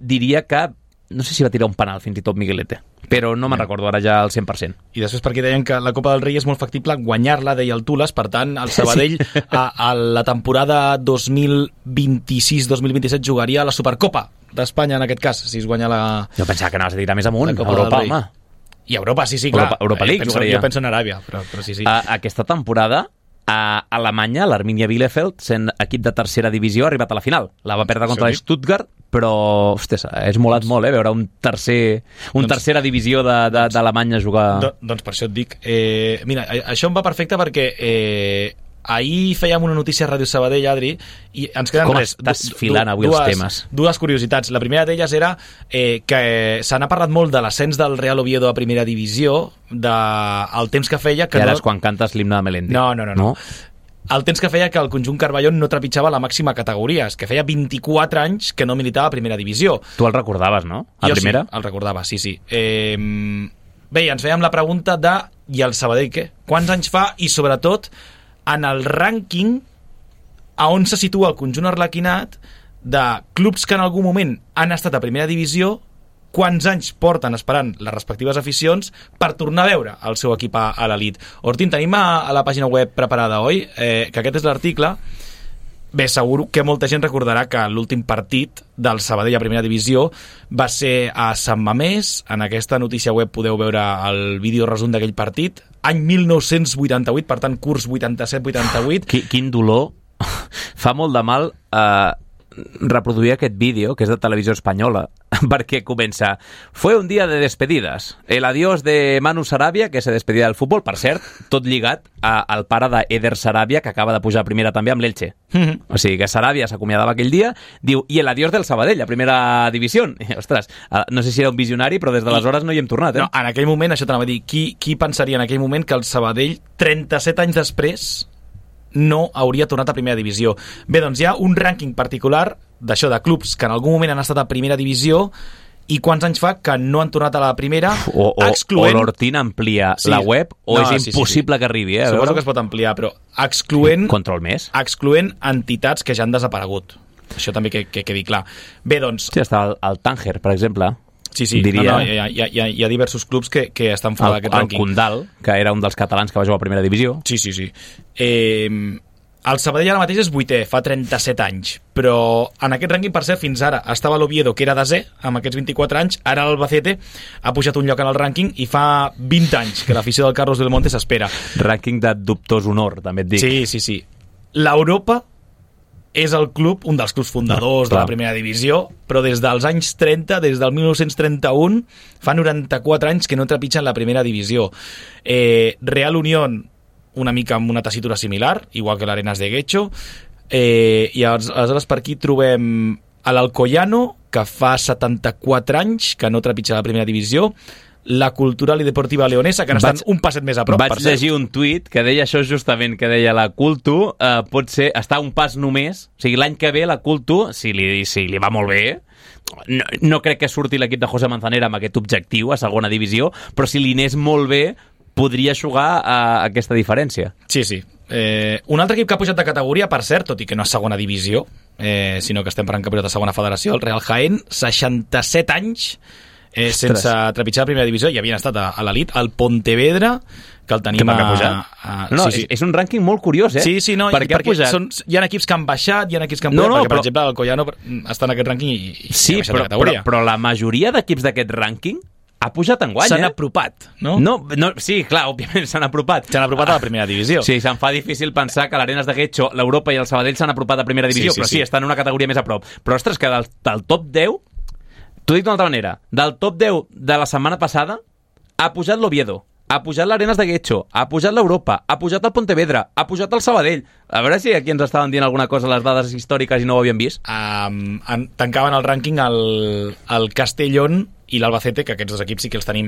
diria que no sé si va tirar un penal fins i tot Miguelete, però no me'n recordo ara ja al 100%. I després perquè deien que la Copa del Rei és molt factible guanyar-la, deia el Tules, per tant el Sabadell a la temporada 2026-2027 jugaria a la Supercopa d'Espanya en aquest cas, si es guanya la... Jo pensava que anaves a tirar més amunt, a Europa, home. I Europa, sí, clar. Europa League, jo penso en Aràbia, però sí. Aquesta temporada a Alemanya, l'Arminia Bielefeld, sent equip de tercera divisió, ha arribat a la final. La va perdre contra Stuttgart, però, ostres, és molat molt, veure un tercera divisió d'Alemanya jugar... Doncs per això et dic... Mira, això em va perfecte perquè ahir fèiem una notícia a Ràdio Sabadell, Adri, i ens queden Com estàs filant avui els temes? Dues curiositats. La primera d'elles era que se n'ha parlat molt de l'ascens del Real Oviedo a primera divisió, del temps que feia... I ara és quan cantes l'himne de Melendi. No. El temps que feia que el conjunt Carballón no trepitjava la màxima categoria, és que feia 24 anys que no militava a primera divisió. Tu el recordaves, no? A primera? Sí, el recordava, sí. Bé, ens fèiem la pregunta de i el Sabadell què? Quants anys fa i sobretot en el rànquing a on se situa el conjunt arlequinat de clubs que en algun moment han estat a primera divisió, quants anys porten esperant les respectives aficions per tornar a veure el seu equip a l'elit. Ortín, tenim a la pàgina web preparada, oi? Que aquest és l'article. Bé, segur que molta gent recordarà que l'últim partit del Sabadell a primera divisió va ser a Sant Mamés. En aquesta notícia web podeu veure el vídeo resum d'aquell partit. Any 1988, per tant, curs 87-88. Quin dolor. Fa molt de mal reproduir aquest vídeo, que és de Televisió Espanyola, perquè comença: fue un día de despedidas, el adiós de Manu Sarabia, que se despedia del futbol, per cert, tot lligat al pare d'Eder Sarabia, que acaba de pujar a primera també amb l'Elche. O sigui que Sarabia s'acomiadava aquell dia, diu, i el adiós del Sabadell a primera divisió. Ostres, no sé si era un visionari, però des d'aleshores no hi hem tornat, No, en aquell moment, això t'anava a dir, qui pensaria en aquell moment que el Sabadell, 37 anys després, no hauria tornat a primera divisió? Bé, doncs hi ha un rànquing particular d'això, de clubs que en algun moment han estat a primera divisió i quants anys fa que no han tornat a la primera, excloent... O l'Hortín amplia la web, o és impossible que arribi, Suposo que es pot ampliar, però excloent... Control més. Excloent entitats que ja han desaparegut. Això també que quedi clar. Bé, doncs... Sí, està el Tànger, per exemple. Sí, diria... hi ha diversos clubs que estan fora d'aquest rànquing. El Condal, que era un dels catalans que va jugar a primera divisió. Sí. El Sabadell ara mateix és 8è, fa 37 anys, però en aquest rànquing, per cert, fins ara estava l'Oviedo, que era 10è, amb aquests 24 anys, ara l'Albacete ha pujat un lloc en el rànquing i fa 20 anys que l'afició del Carlos del Monte s'espera. Rànquing de dubtós honor, també et dic. Sí. L'Europa és el club, un dels clubs fundadors de la primera divisió, però des dels anys 30, des del 1931, fa 94 anys que no trepitgen la primera divisió. Real Unión, una mica amb una tessitura similar, igual que l'Arenas de Guecho, i aleshores per aquí trobem a l'Alcoyano, que fa 74 anys que no trepitja la primera divisió, la Cultural i Deportiva Leonesa, que ara estan un passet més a prop. Vaig llegir un tuit que deia això justament, que deia la Cultu pot ser estar un pas només, o sigui, l'any que ve la Cultu, si li va molt bé, no crec que surti l'equip de José Manzanera amb aquest objectiu a segona divisió, però si li anés molt bé, podria jugar a aquesta diferència. Sí. Un altre equip que ha pujat de categoria, per cert, tot i que no és segona divisió, sinó que estem parlant campionat de segona federació, el Real Jaén, 67 anys sense trepitjar la primera divisió, i havien estat a l'elit, el Pontevedra, que el tenim sí. És un rànquing molt curiós, Sí, no, perquè hi ha equips que han baixat, hi ha equips que han pujat, perquè, per exemple, l'Alcoyano està en aquest rànquing i ha baixat de categoria. Però la majoria d'equips d'aquest rànquing ha pujat enguany, S'han apropat, no? Sí, clar, òbviament s'han apropat. S'han apropat a la primera divisió. Sí, se'm fa difícil pensar que l'Arenas de Guecho, l'Europa i el Sabadell s'han apropat a primera divisió, però sí, estan en una categoria més a prop. Però, ostres, que del top 10, t'ho dic d'una altra manera, del top 10 de la setmana passada ha pujat l'Oviedo, ha pujat l'Arenas de Guecho, ha pujat l'Europa, ha pujat el Pontevedra, ha pujat el Sabadell. A veure si aquí ens estaven dient alguna cosa les dades històriques i no ho havíem vist. Tancaven el rànquing el Castellón i l'Albacete, que aquests dos equips sí que els tenim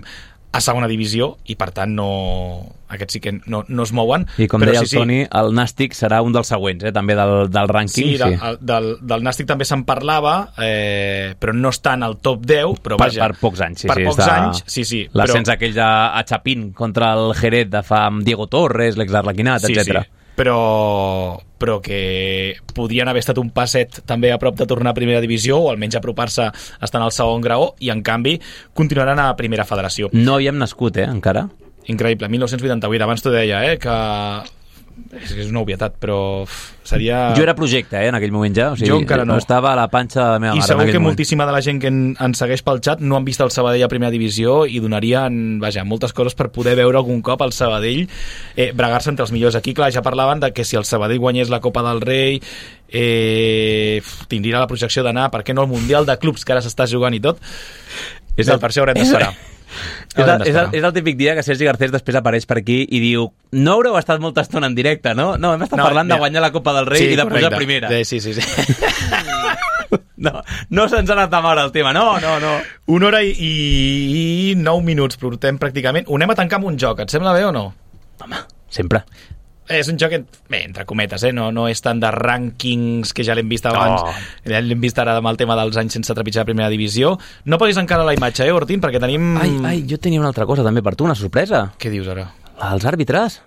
a segona divisió i per tant aquests sí que no es mouen. I com deia el Toni, el Nàstic serà un dels següents, també del rànquing. Del Nàstic també se'n parlava, però no està en el top 10, però vaja. Per pocs anys, per pocs anys, sí. L'ascens aquell a Chapín contra el Jerez de fa amb Diego Torres, l'ex-Arlequinat, etc. Sí. Però que podien haver estat un passet també a prop de tornar a primera divisió o almenys apropar-se a estar en el segon graó, i en canvi continuaran a primera federació. No havíem nascut, encara. Increïble, 1988, abans t'ho deia, que és una obvietat, però seria... Jo era projecte, en aquell moment ja, o sigui, jo encara no. Estava a la panxa de la meva mare. I segur que moltíssima de la gent que ens segueix pel xat no han vist el Sabadell a primera divisió i donarien, moltes coses per poder veure algun cop el Sabadell bregar-se entre els millors. Aquí, clar, ja parlaven de que si el Sabadell guanyés la Copa del Rei tindria la projecció d'anar, per què no, al Mundial de Clubs, que ara s'està jugant i tot. Per això haurem d'esperar. És el típic dia que Sergi Garcés després apareix per aquí i diu: no haureu estat molta estona en directe, no? No, hem estat parlant de guanyar la Copa del Rei i de pujar primera. Sí. No se'ns ha anat de mare el tema, no. 1 hora i 9 minuts portem pràcticament. Ho anem a tancar amb un joc, et sembla bé o no? Home, sempre. És un joc, entre cometes, no és tant de rànquings, que ja l'hem vist abans, ja l'hem vist ara amb el tema dels anys sense trepitjar la primera divisió. No posis encara la imatge, Ortín, perquè tenim... Ai, jo tenia una altra cosa també per tu, una sorpresa. Què dius ara? Els àrbitres.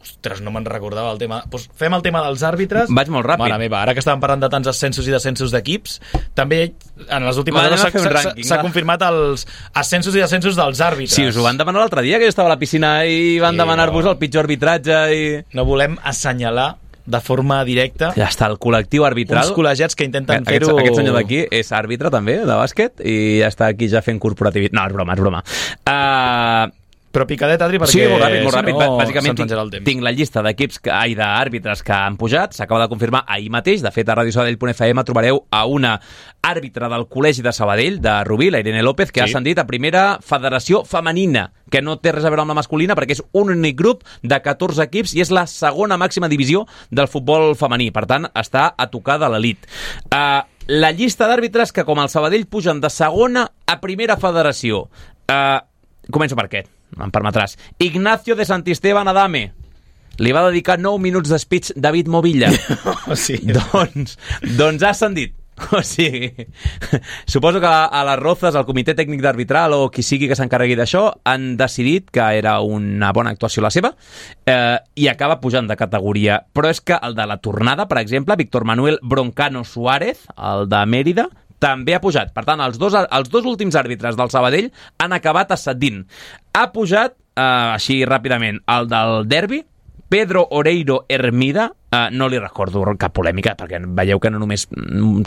Ostres, no me'n recordava el tema. Pues fem el tema dels àrbitres. Vaig molt ràpid. Mare meva, ara que estàvem parlant de tants ascensos i descensos d'equips, també en les últimes hores s'ha confirmat els ascensos i descensos dels àrbitres. Sí, us ho van demanar l'altre dia, que jo estava a la piscina i van demanar-vos el pitjor arbitratge i... No volem assenyalar de forma directa. Ja està, el col·lectiu arbitral. Uns col·legiats que intenten fer-ho... Aquest senyor d'aquí és àrbitre també, de bàsquet, i ja està aquí ja fent corporativitat. No, és broma. Però picadet, Adri, perquè... Sí, molt ràpid. No, bàsicament tinc la llista d'àrbitres que han pujat. S'acaba de confirmar ahir mateix. De fet, a radiosabadell.fm trobareu a una àrbitre del Col·legi de Sabadell, de Rubí, la Irene López, que ha ascendit a primera federació femenina, que no té res a veure amb la masculina, perquè és un únic grup de 14 equips i és la segona màxima divisió del futbol femení. Per tant, està a tocar de l'elit. La llista d'àrbitres que, com el Sabadell, pugen de segona a primera federació. Començo per aquest. Em permetràs. Ignacio de Santisteban Adame. Li va dedicar 9 minuts de speech David Movilla. Sí. Doncs ha ascendit. O sigui, suposo que a les Rozas, el comitè tècnic d'arbitral o qui sigui que s'encarregui d'això, han decidit que era una bona actuació la seva i acaba pujant de categoria. Però és que el de la tornada, per exemple, Víctor Manuel Broncano Suárez, el de Mèrida, també ha pujat. Per tant, els dos últims àrbitres del Sabadell han acabat ascendint. Ha pujat, així ràpidament, el del derbi, Pedro Oreiro Hermida, no li recordo cap polèmica, perquè veieu que no només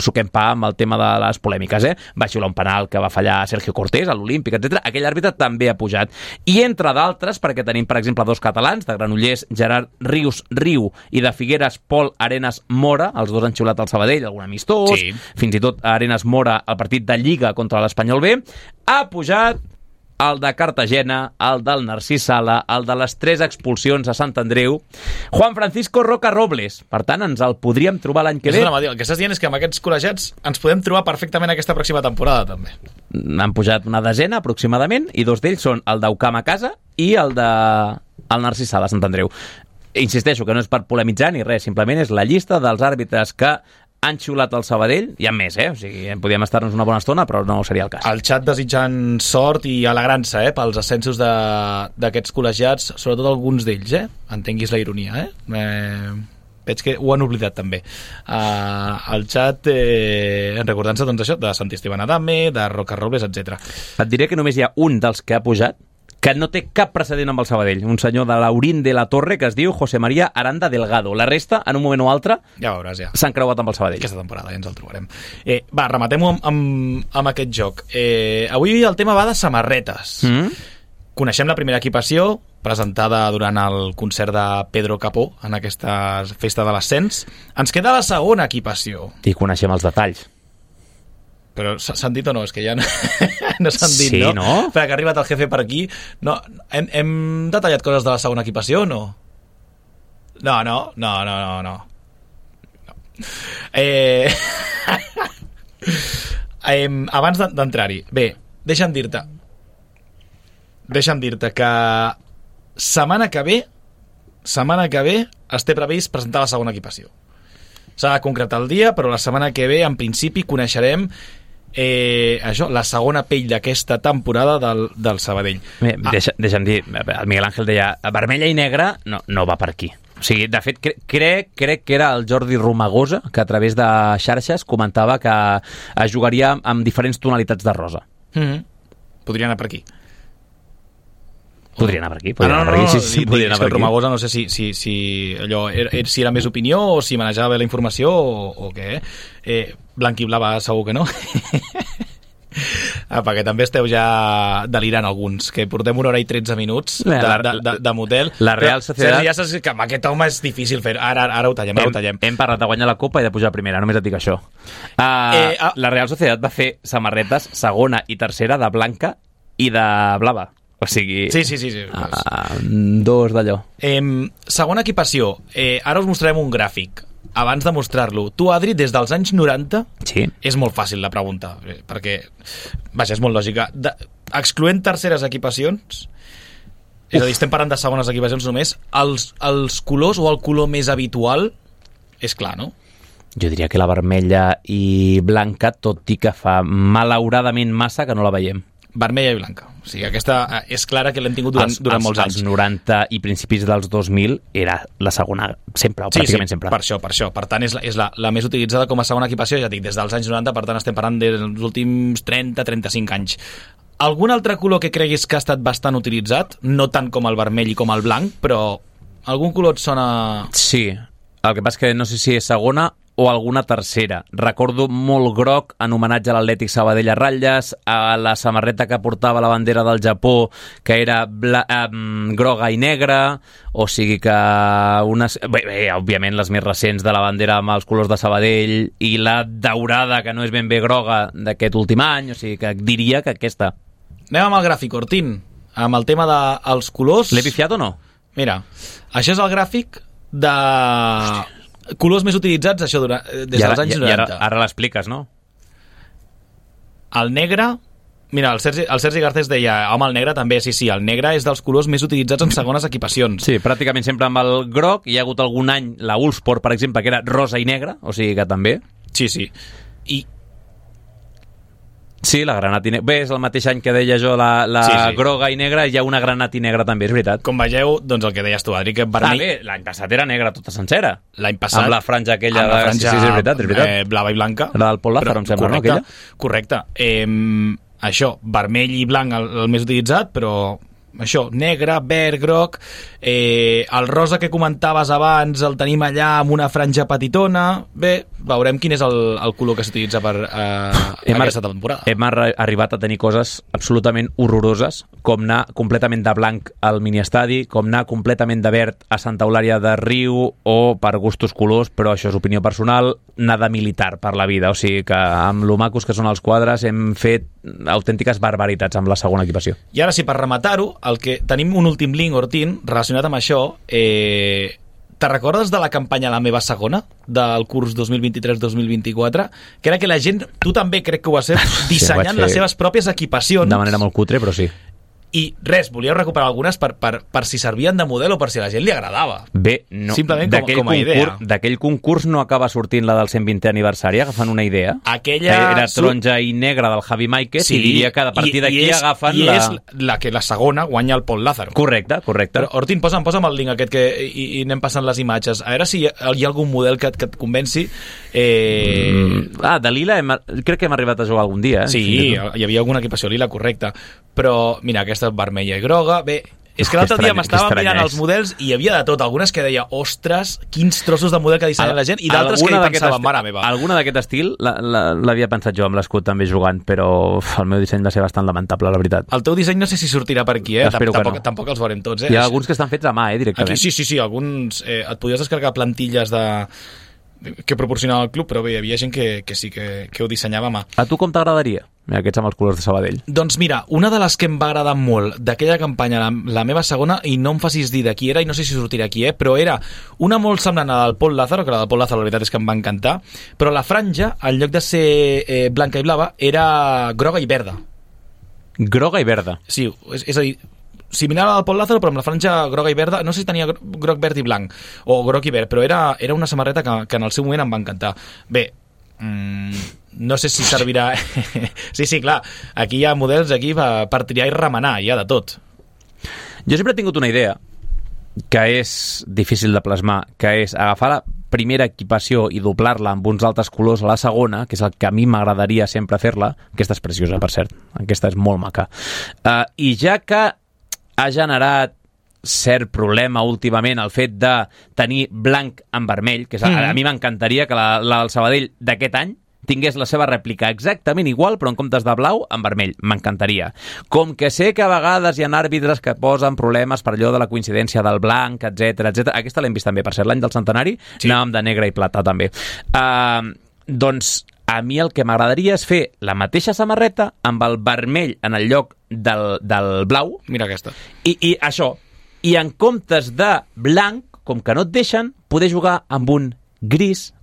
suquem pa amb el tema de les polèmiques, va xiular un penal que va fallar Sergio Cortés a l'Olímpic, etc. Aquell àrbitre també ha pujat. I entre d'altres, perquè tenim, per exemple, dos catalans, de Granollers, Gerard Rius Riu, i de Figueres, Pol Arenas Mora, els dos han xiulat al Sabadell, algun amistós, sí. Fins i tot Arenas Mora, al partit de Lliga contra l'Espanyol B, ha pujat el de Cartagena, el del Narcís Sala, el de les 3 expulsions a Sant Andreu, Juan Francisco Roca Robles. Per tant, ens el podríem trobar l'any que ve. El que estàs dient és que amb aquests col·legiats ens podem trobar perfectament aquesta pròxima temporada, també. Han pujat una desena, aproximadament, i 2 d'ells són el d'Eucam a casa i el Narcís Sala a Sant Andreu. Insisteixo que no és per polemitzar ni res, simplement és la llista dels àrbitres que han xiulat el Sabadell, hi ha més, o sigui, podríem estar-nos una bona estona, però no seria el cas. El xat desitjant sort i alegrant-se, pels ascensos d'aquests col·legiats, sobretot alguns d'ells, entenguis la ironia, veig que ho han oblidat també. El xat recordant-se, doncs, això, de Sant Esteban Adame, de Roca Robles, etc. Et diré que només hi ha un dels que ha pujat que no té cap precedent amb el Sabadell, un senyor de l'Aurín de la Torre que es diu José María Aranda Delgado. La resta, en un moment o altre, ja veuràs, s'han creuat amb el Sabadell. Aquesta temporada ja ens el trobarem. Rematem-ho amb aquest joc. Avui el tema va de samarretes. Coneixem la primera equipació, presentada durant el concert de Pedro Capó en aquesta festa de l'ascens. Ens queda la segona equipació. I coneixem els detalls. Però s'han dit o no? És que ja no s'han dit, sí, no? Perquè ha arribat el jefe per aquí. No, hem detallat coses de la segona equipació o no? No. Abans d'entrar-hi, bé, deixa'm dir-te que setmana que ve es té previst presentar la segona equipació. S'ha de concretar el dia, però la setmana que ve, en principi, coneixerem la segona pell d'aquesta temporada del Sabadell. Deixa'm dir, el Miguel Ángel deia vermella i negra, no va per aquí. O sigui, de fet, crec que era el Jordi Romagosa que a través de xarxes comentava que es jugaria amb diferents tonalitats de rosa. Podria anar per aquí. Podria anar per aquí. Sí, podria anar per aquí. Romagosa no sé si allò si era més opinió o si manejava bé la informació o què. Blanc i blava segur que no. Perquè també esteu ja delirant alguns, que portem 1 hora i 13 minuts de motel. La Real Sociedad... Ja saps que amb aquest home és difícil fer. Ara ho tallem. Hem parlat de guanyar la Copa i de pujar a primera, només et dic això. La Real Sociedad va fer samarretes segona i tercera de blanca i de blava. O sigui... Sí. Dos d'allò. Segona equipació. Ara us mostrarem un gràfic. Abans de mostrar-lo, tu, Adri, des dels anys 90, sí. És molt fàcil la pregunta, perquè, vaja, és molt lògica. Excloent terceres equipacions, és a dir, estem parlant de segones equipacions només, els colors o el color més habitual és clar, no? Jo diria que la vermella i blanca, tot i que fa malauradament massa que no la veiem. Vermella i blanca. O sigui, aquesta és clara que l'hem tingut durant molts anys. Als 90 i principis dels 2000 era la segona sempre, o pràcticament sempre. Per això. Per tant, és la més utilitzada com a segona equipació, ja dic, des dels anys 90, per tant estem parlant dels últims 30-35 anys. Algun altre color que creguis que ha estat bastant utilitzat? No tant com el vermell i com el blanc, però algun color et sona... Sí, el que passa és que no sé si és segona o alguna tercera. Recordo molt groc en homenatge a l'Atlètic Sabadell a ratlles, a la samarreta que portava la bandera del Japó, que era groga i negra, o sigui que òbviament les més recents de la bandera amb els colors de Sabadell i la daurada, que no és ben bé groga, d'aquest últim any, o sigui que diria que aquesta. Anem amb el gràfic, Ortín, amb el tema dels colors. L'he pifiat o no? Mira, això és el gràfic de... Hòstia. Colors més utilitzats, això, des dels anys 90. Ara l'expliques, no? El negre... Mira, el Sergi Garcés deia, home, el negre també, sí, el negre és dels colors més utilitzats en segones equipacions. Sí, pràcticament sempre amb el groc. Hi ha hagut algun any, la Ulsport, per exemple, que era rosa i negre, o sigui que també. Sí. Sí, la granat i negra. Bé, és el mateix any que deia jo la groga i negra, hi ha una granat i negra també, és veritat. Com veieu, doncs el que deies tu, Adri, que vermell... Bé, l'any passat era negra tota sencera. L'any passat... Amb la franja aquella... Amb la franja, sí, és veritat. Blava i blanca. La del Pol Lázaro, em sembla, no? Correcte. Això, vermell i blanc el més utilitzat, però això, negre, verd, groc, el rosa que comentaves abans el tenim allà amb una franja petitona. Bé, veurem quin és el color que s'utilitza per aquesta temporada. Hem arribat a tenir coses absolutament horroroses, com anar completament de blanc al miniestadi, com anar completament de verd a Santa Eulària de Riu, o per gustos colors, però això és opinió personal, anar de militar per la vida. O sigui que amb lo macos que són els quadres hem fet autèntiques barbaritats amb la segona equipació. I ara sí, per rematar-ho, el que tenim un últim link, Ortín, relacionat amb això. Te recordes de la campanya La meva segona, del curs 2023-2024? Que era que la gent, tu també crec que ho has fet, dissenyant les seves pròpies equipacions. De manera molt cutre, però sí. I res, volíeu recuperar algunes per si servien de model o per si a la gent li agradava. Bé, no. Simplement com a idea. D'aquell concurs no acaba sortint la del 120è aniversari, agafant una idea. Aquella... Era taronja i negra del Javi Máiquez, sí, i diria que a partir d'aquí agafen I és la segona guanya el Pol Lázaro. Correcte. Però, Ortín, posa'm el link aquest i anem passant les imatges. A veure si hi ha algun model que et convenci. De lila crec que hem arribat a jugar algun dia. Sí, hi havia alguna equipació lila, correcte. Però, mira, aquesta vermella i groga, bé, és que l'altre dia m'estava mirant els models i hi havia de tot, algunes que deia, ostres, quins trossos de model que dissenya la gent, i d'altres que hi pensava, mare meva. Alguna d'aquest estil l'havia pensat jo amb l'escut també jugant, però el meu disseny va ser bastant lamentable, la veritat. El teu disseny no sé si sortirà per aquí, tampoc els veurem tots. Hi ha alguns que estan fets a mà, directament. Aquí, sí, alguns et podies descarregar plantilles que proporcionava el club, però bé, hi havia gent que sí que ho dissenyava a mà. A tu com t'agradaria? Mira, aquests amb els colors de Sabadell. Doncs mira, una de les que em va agradar molt d'aquella campanya, la meva segona, i no em facis dir de qui era, i no sé si sortirà aquí, però era una molt semblant a la del Pol Lázaro, que la del Pol Lázaro la veritat és que em va encantar, però la franja, en lloc de ser blanca i blava, era groga i verda. Groga i verda? Sí, és a dir, similar a la del Pol Lázaro, però amb la franja groga i verda, no sé si tenia groc, verd i blanc, o groc i verd, però era una samarreta que en el seu moment em va encantar. Bé, no sé si servirà... sí, clar, aquí hi ha models per triar i remenar, hi ha de tot. Jo sempre he tingut una idea que és difícil de plasmar, que és agafar la primera equipació i doblar-la amb uns altres colors a la segona, que és el que a mi m'agradaria sempre fer-la. Aquesta és preciosa, per cert, aquesta és molt maca. I ja que ha generat cert problema últimament el fet de tenir blanc en vermell, que és, a mi m'encantaria que la del Sabadell d'aquest any tingués la seva rèplica exactament igual, però en comptes de blau, en vermell. M'encantaria. Com que sé que a vegades hi ha àrbitres que posen problemes per allò de la coincidència del blanc, etc. Aquesta l'hem vist també, per ser l'any del centenari, sí. Anàvem de negre i plata també. Doncs a mi el que m'agradaria és fer la mateixa samarreta amb el vermell en el lloc del blau. Mira aquesta. I això. I en comptes de blanc, com que no et deixen, poder jugar amb un gris,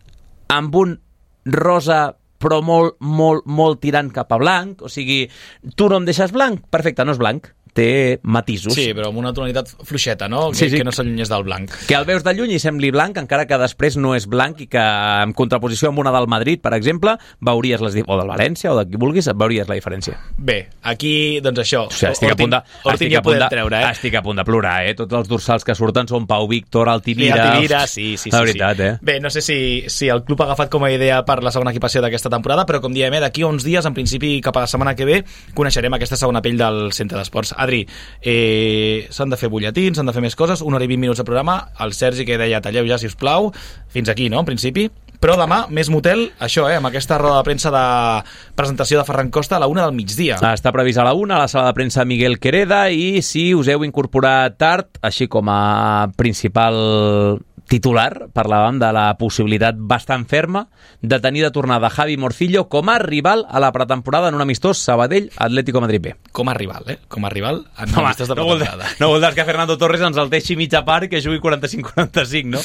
amb un rosa, però molt tirant cap a blanc. O sigui, tu no em deixes blanc? Perfecte, no és blanc. Té matisos. Sí, però amb una tonalitat fluixeta, no? Sí. Que no s'allunyés del blanc. Que el veus de lluny i sembli blanc, encara que després no és blanc, i que en contraposició amb una del Madrid, per exemple, veuries o del València, o de qui vulguis, veuries la diferència. Bé, aquí, doncs això. O sigui, estic a punt de plorar, Tots els dorsals que surten són Pau Víctor, Altimira... Sí. La veritat, Bé, no sé si el club ha agafat com a idea per la segona equipació d'aquesta temporada, però com diem, d'aquí a uns dies, en principi cap a la setmana que ve, coneixerem aquesta segona pell del Centre d'Esports. Adri, s'han de fer butlletins, s'han de fer més coses, 1 hora i 20 minuts de programa, el Sergi que deia talleu ja, si us plau, fins aquí, no?, en principi. Però demà, més motel, això, amb aquesta roda de premsa de presentació de Ferran Costa a la 1 del migdia. Està previst a la 1, a la sala de premsa Miguel Quereda, i si us heu incorporat tard, així com a principal titular, parlàvem de la possibilitat bastant ferma de tenir de tornada Javi Morcillo com a rival a la pretemporada en un amistós Sabadell-Atlético Madrid B. Com a rival, Com a rival en amistós de pretemporada. No vol dir que Fernando Torres ens el deixi mitja part i que jugui 45-45, no?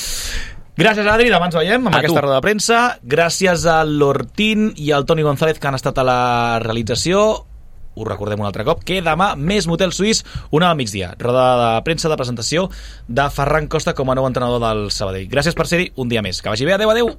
Gràcies, Adri, demà ens veiem amb aquesta roda de premsa. Gràcies a l'Ortín i al Toni González, que han estat a la realització. Us recordem un altre cop que demà més motel suís, 1 al migdia, roda de premsa de presentació de Ferran Costa com a nou entrenador del Sabadell. Gràcies per ser-hi un dia més. Que vagi bé, adeu.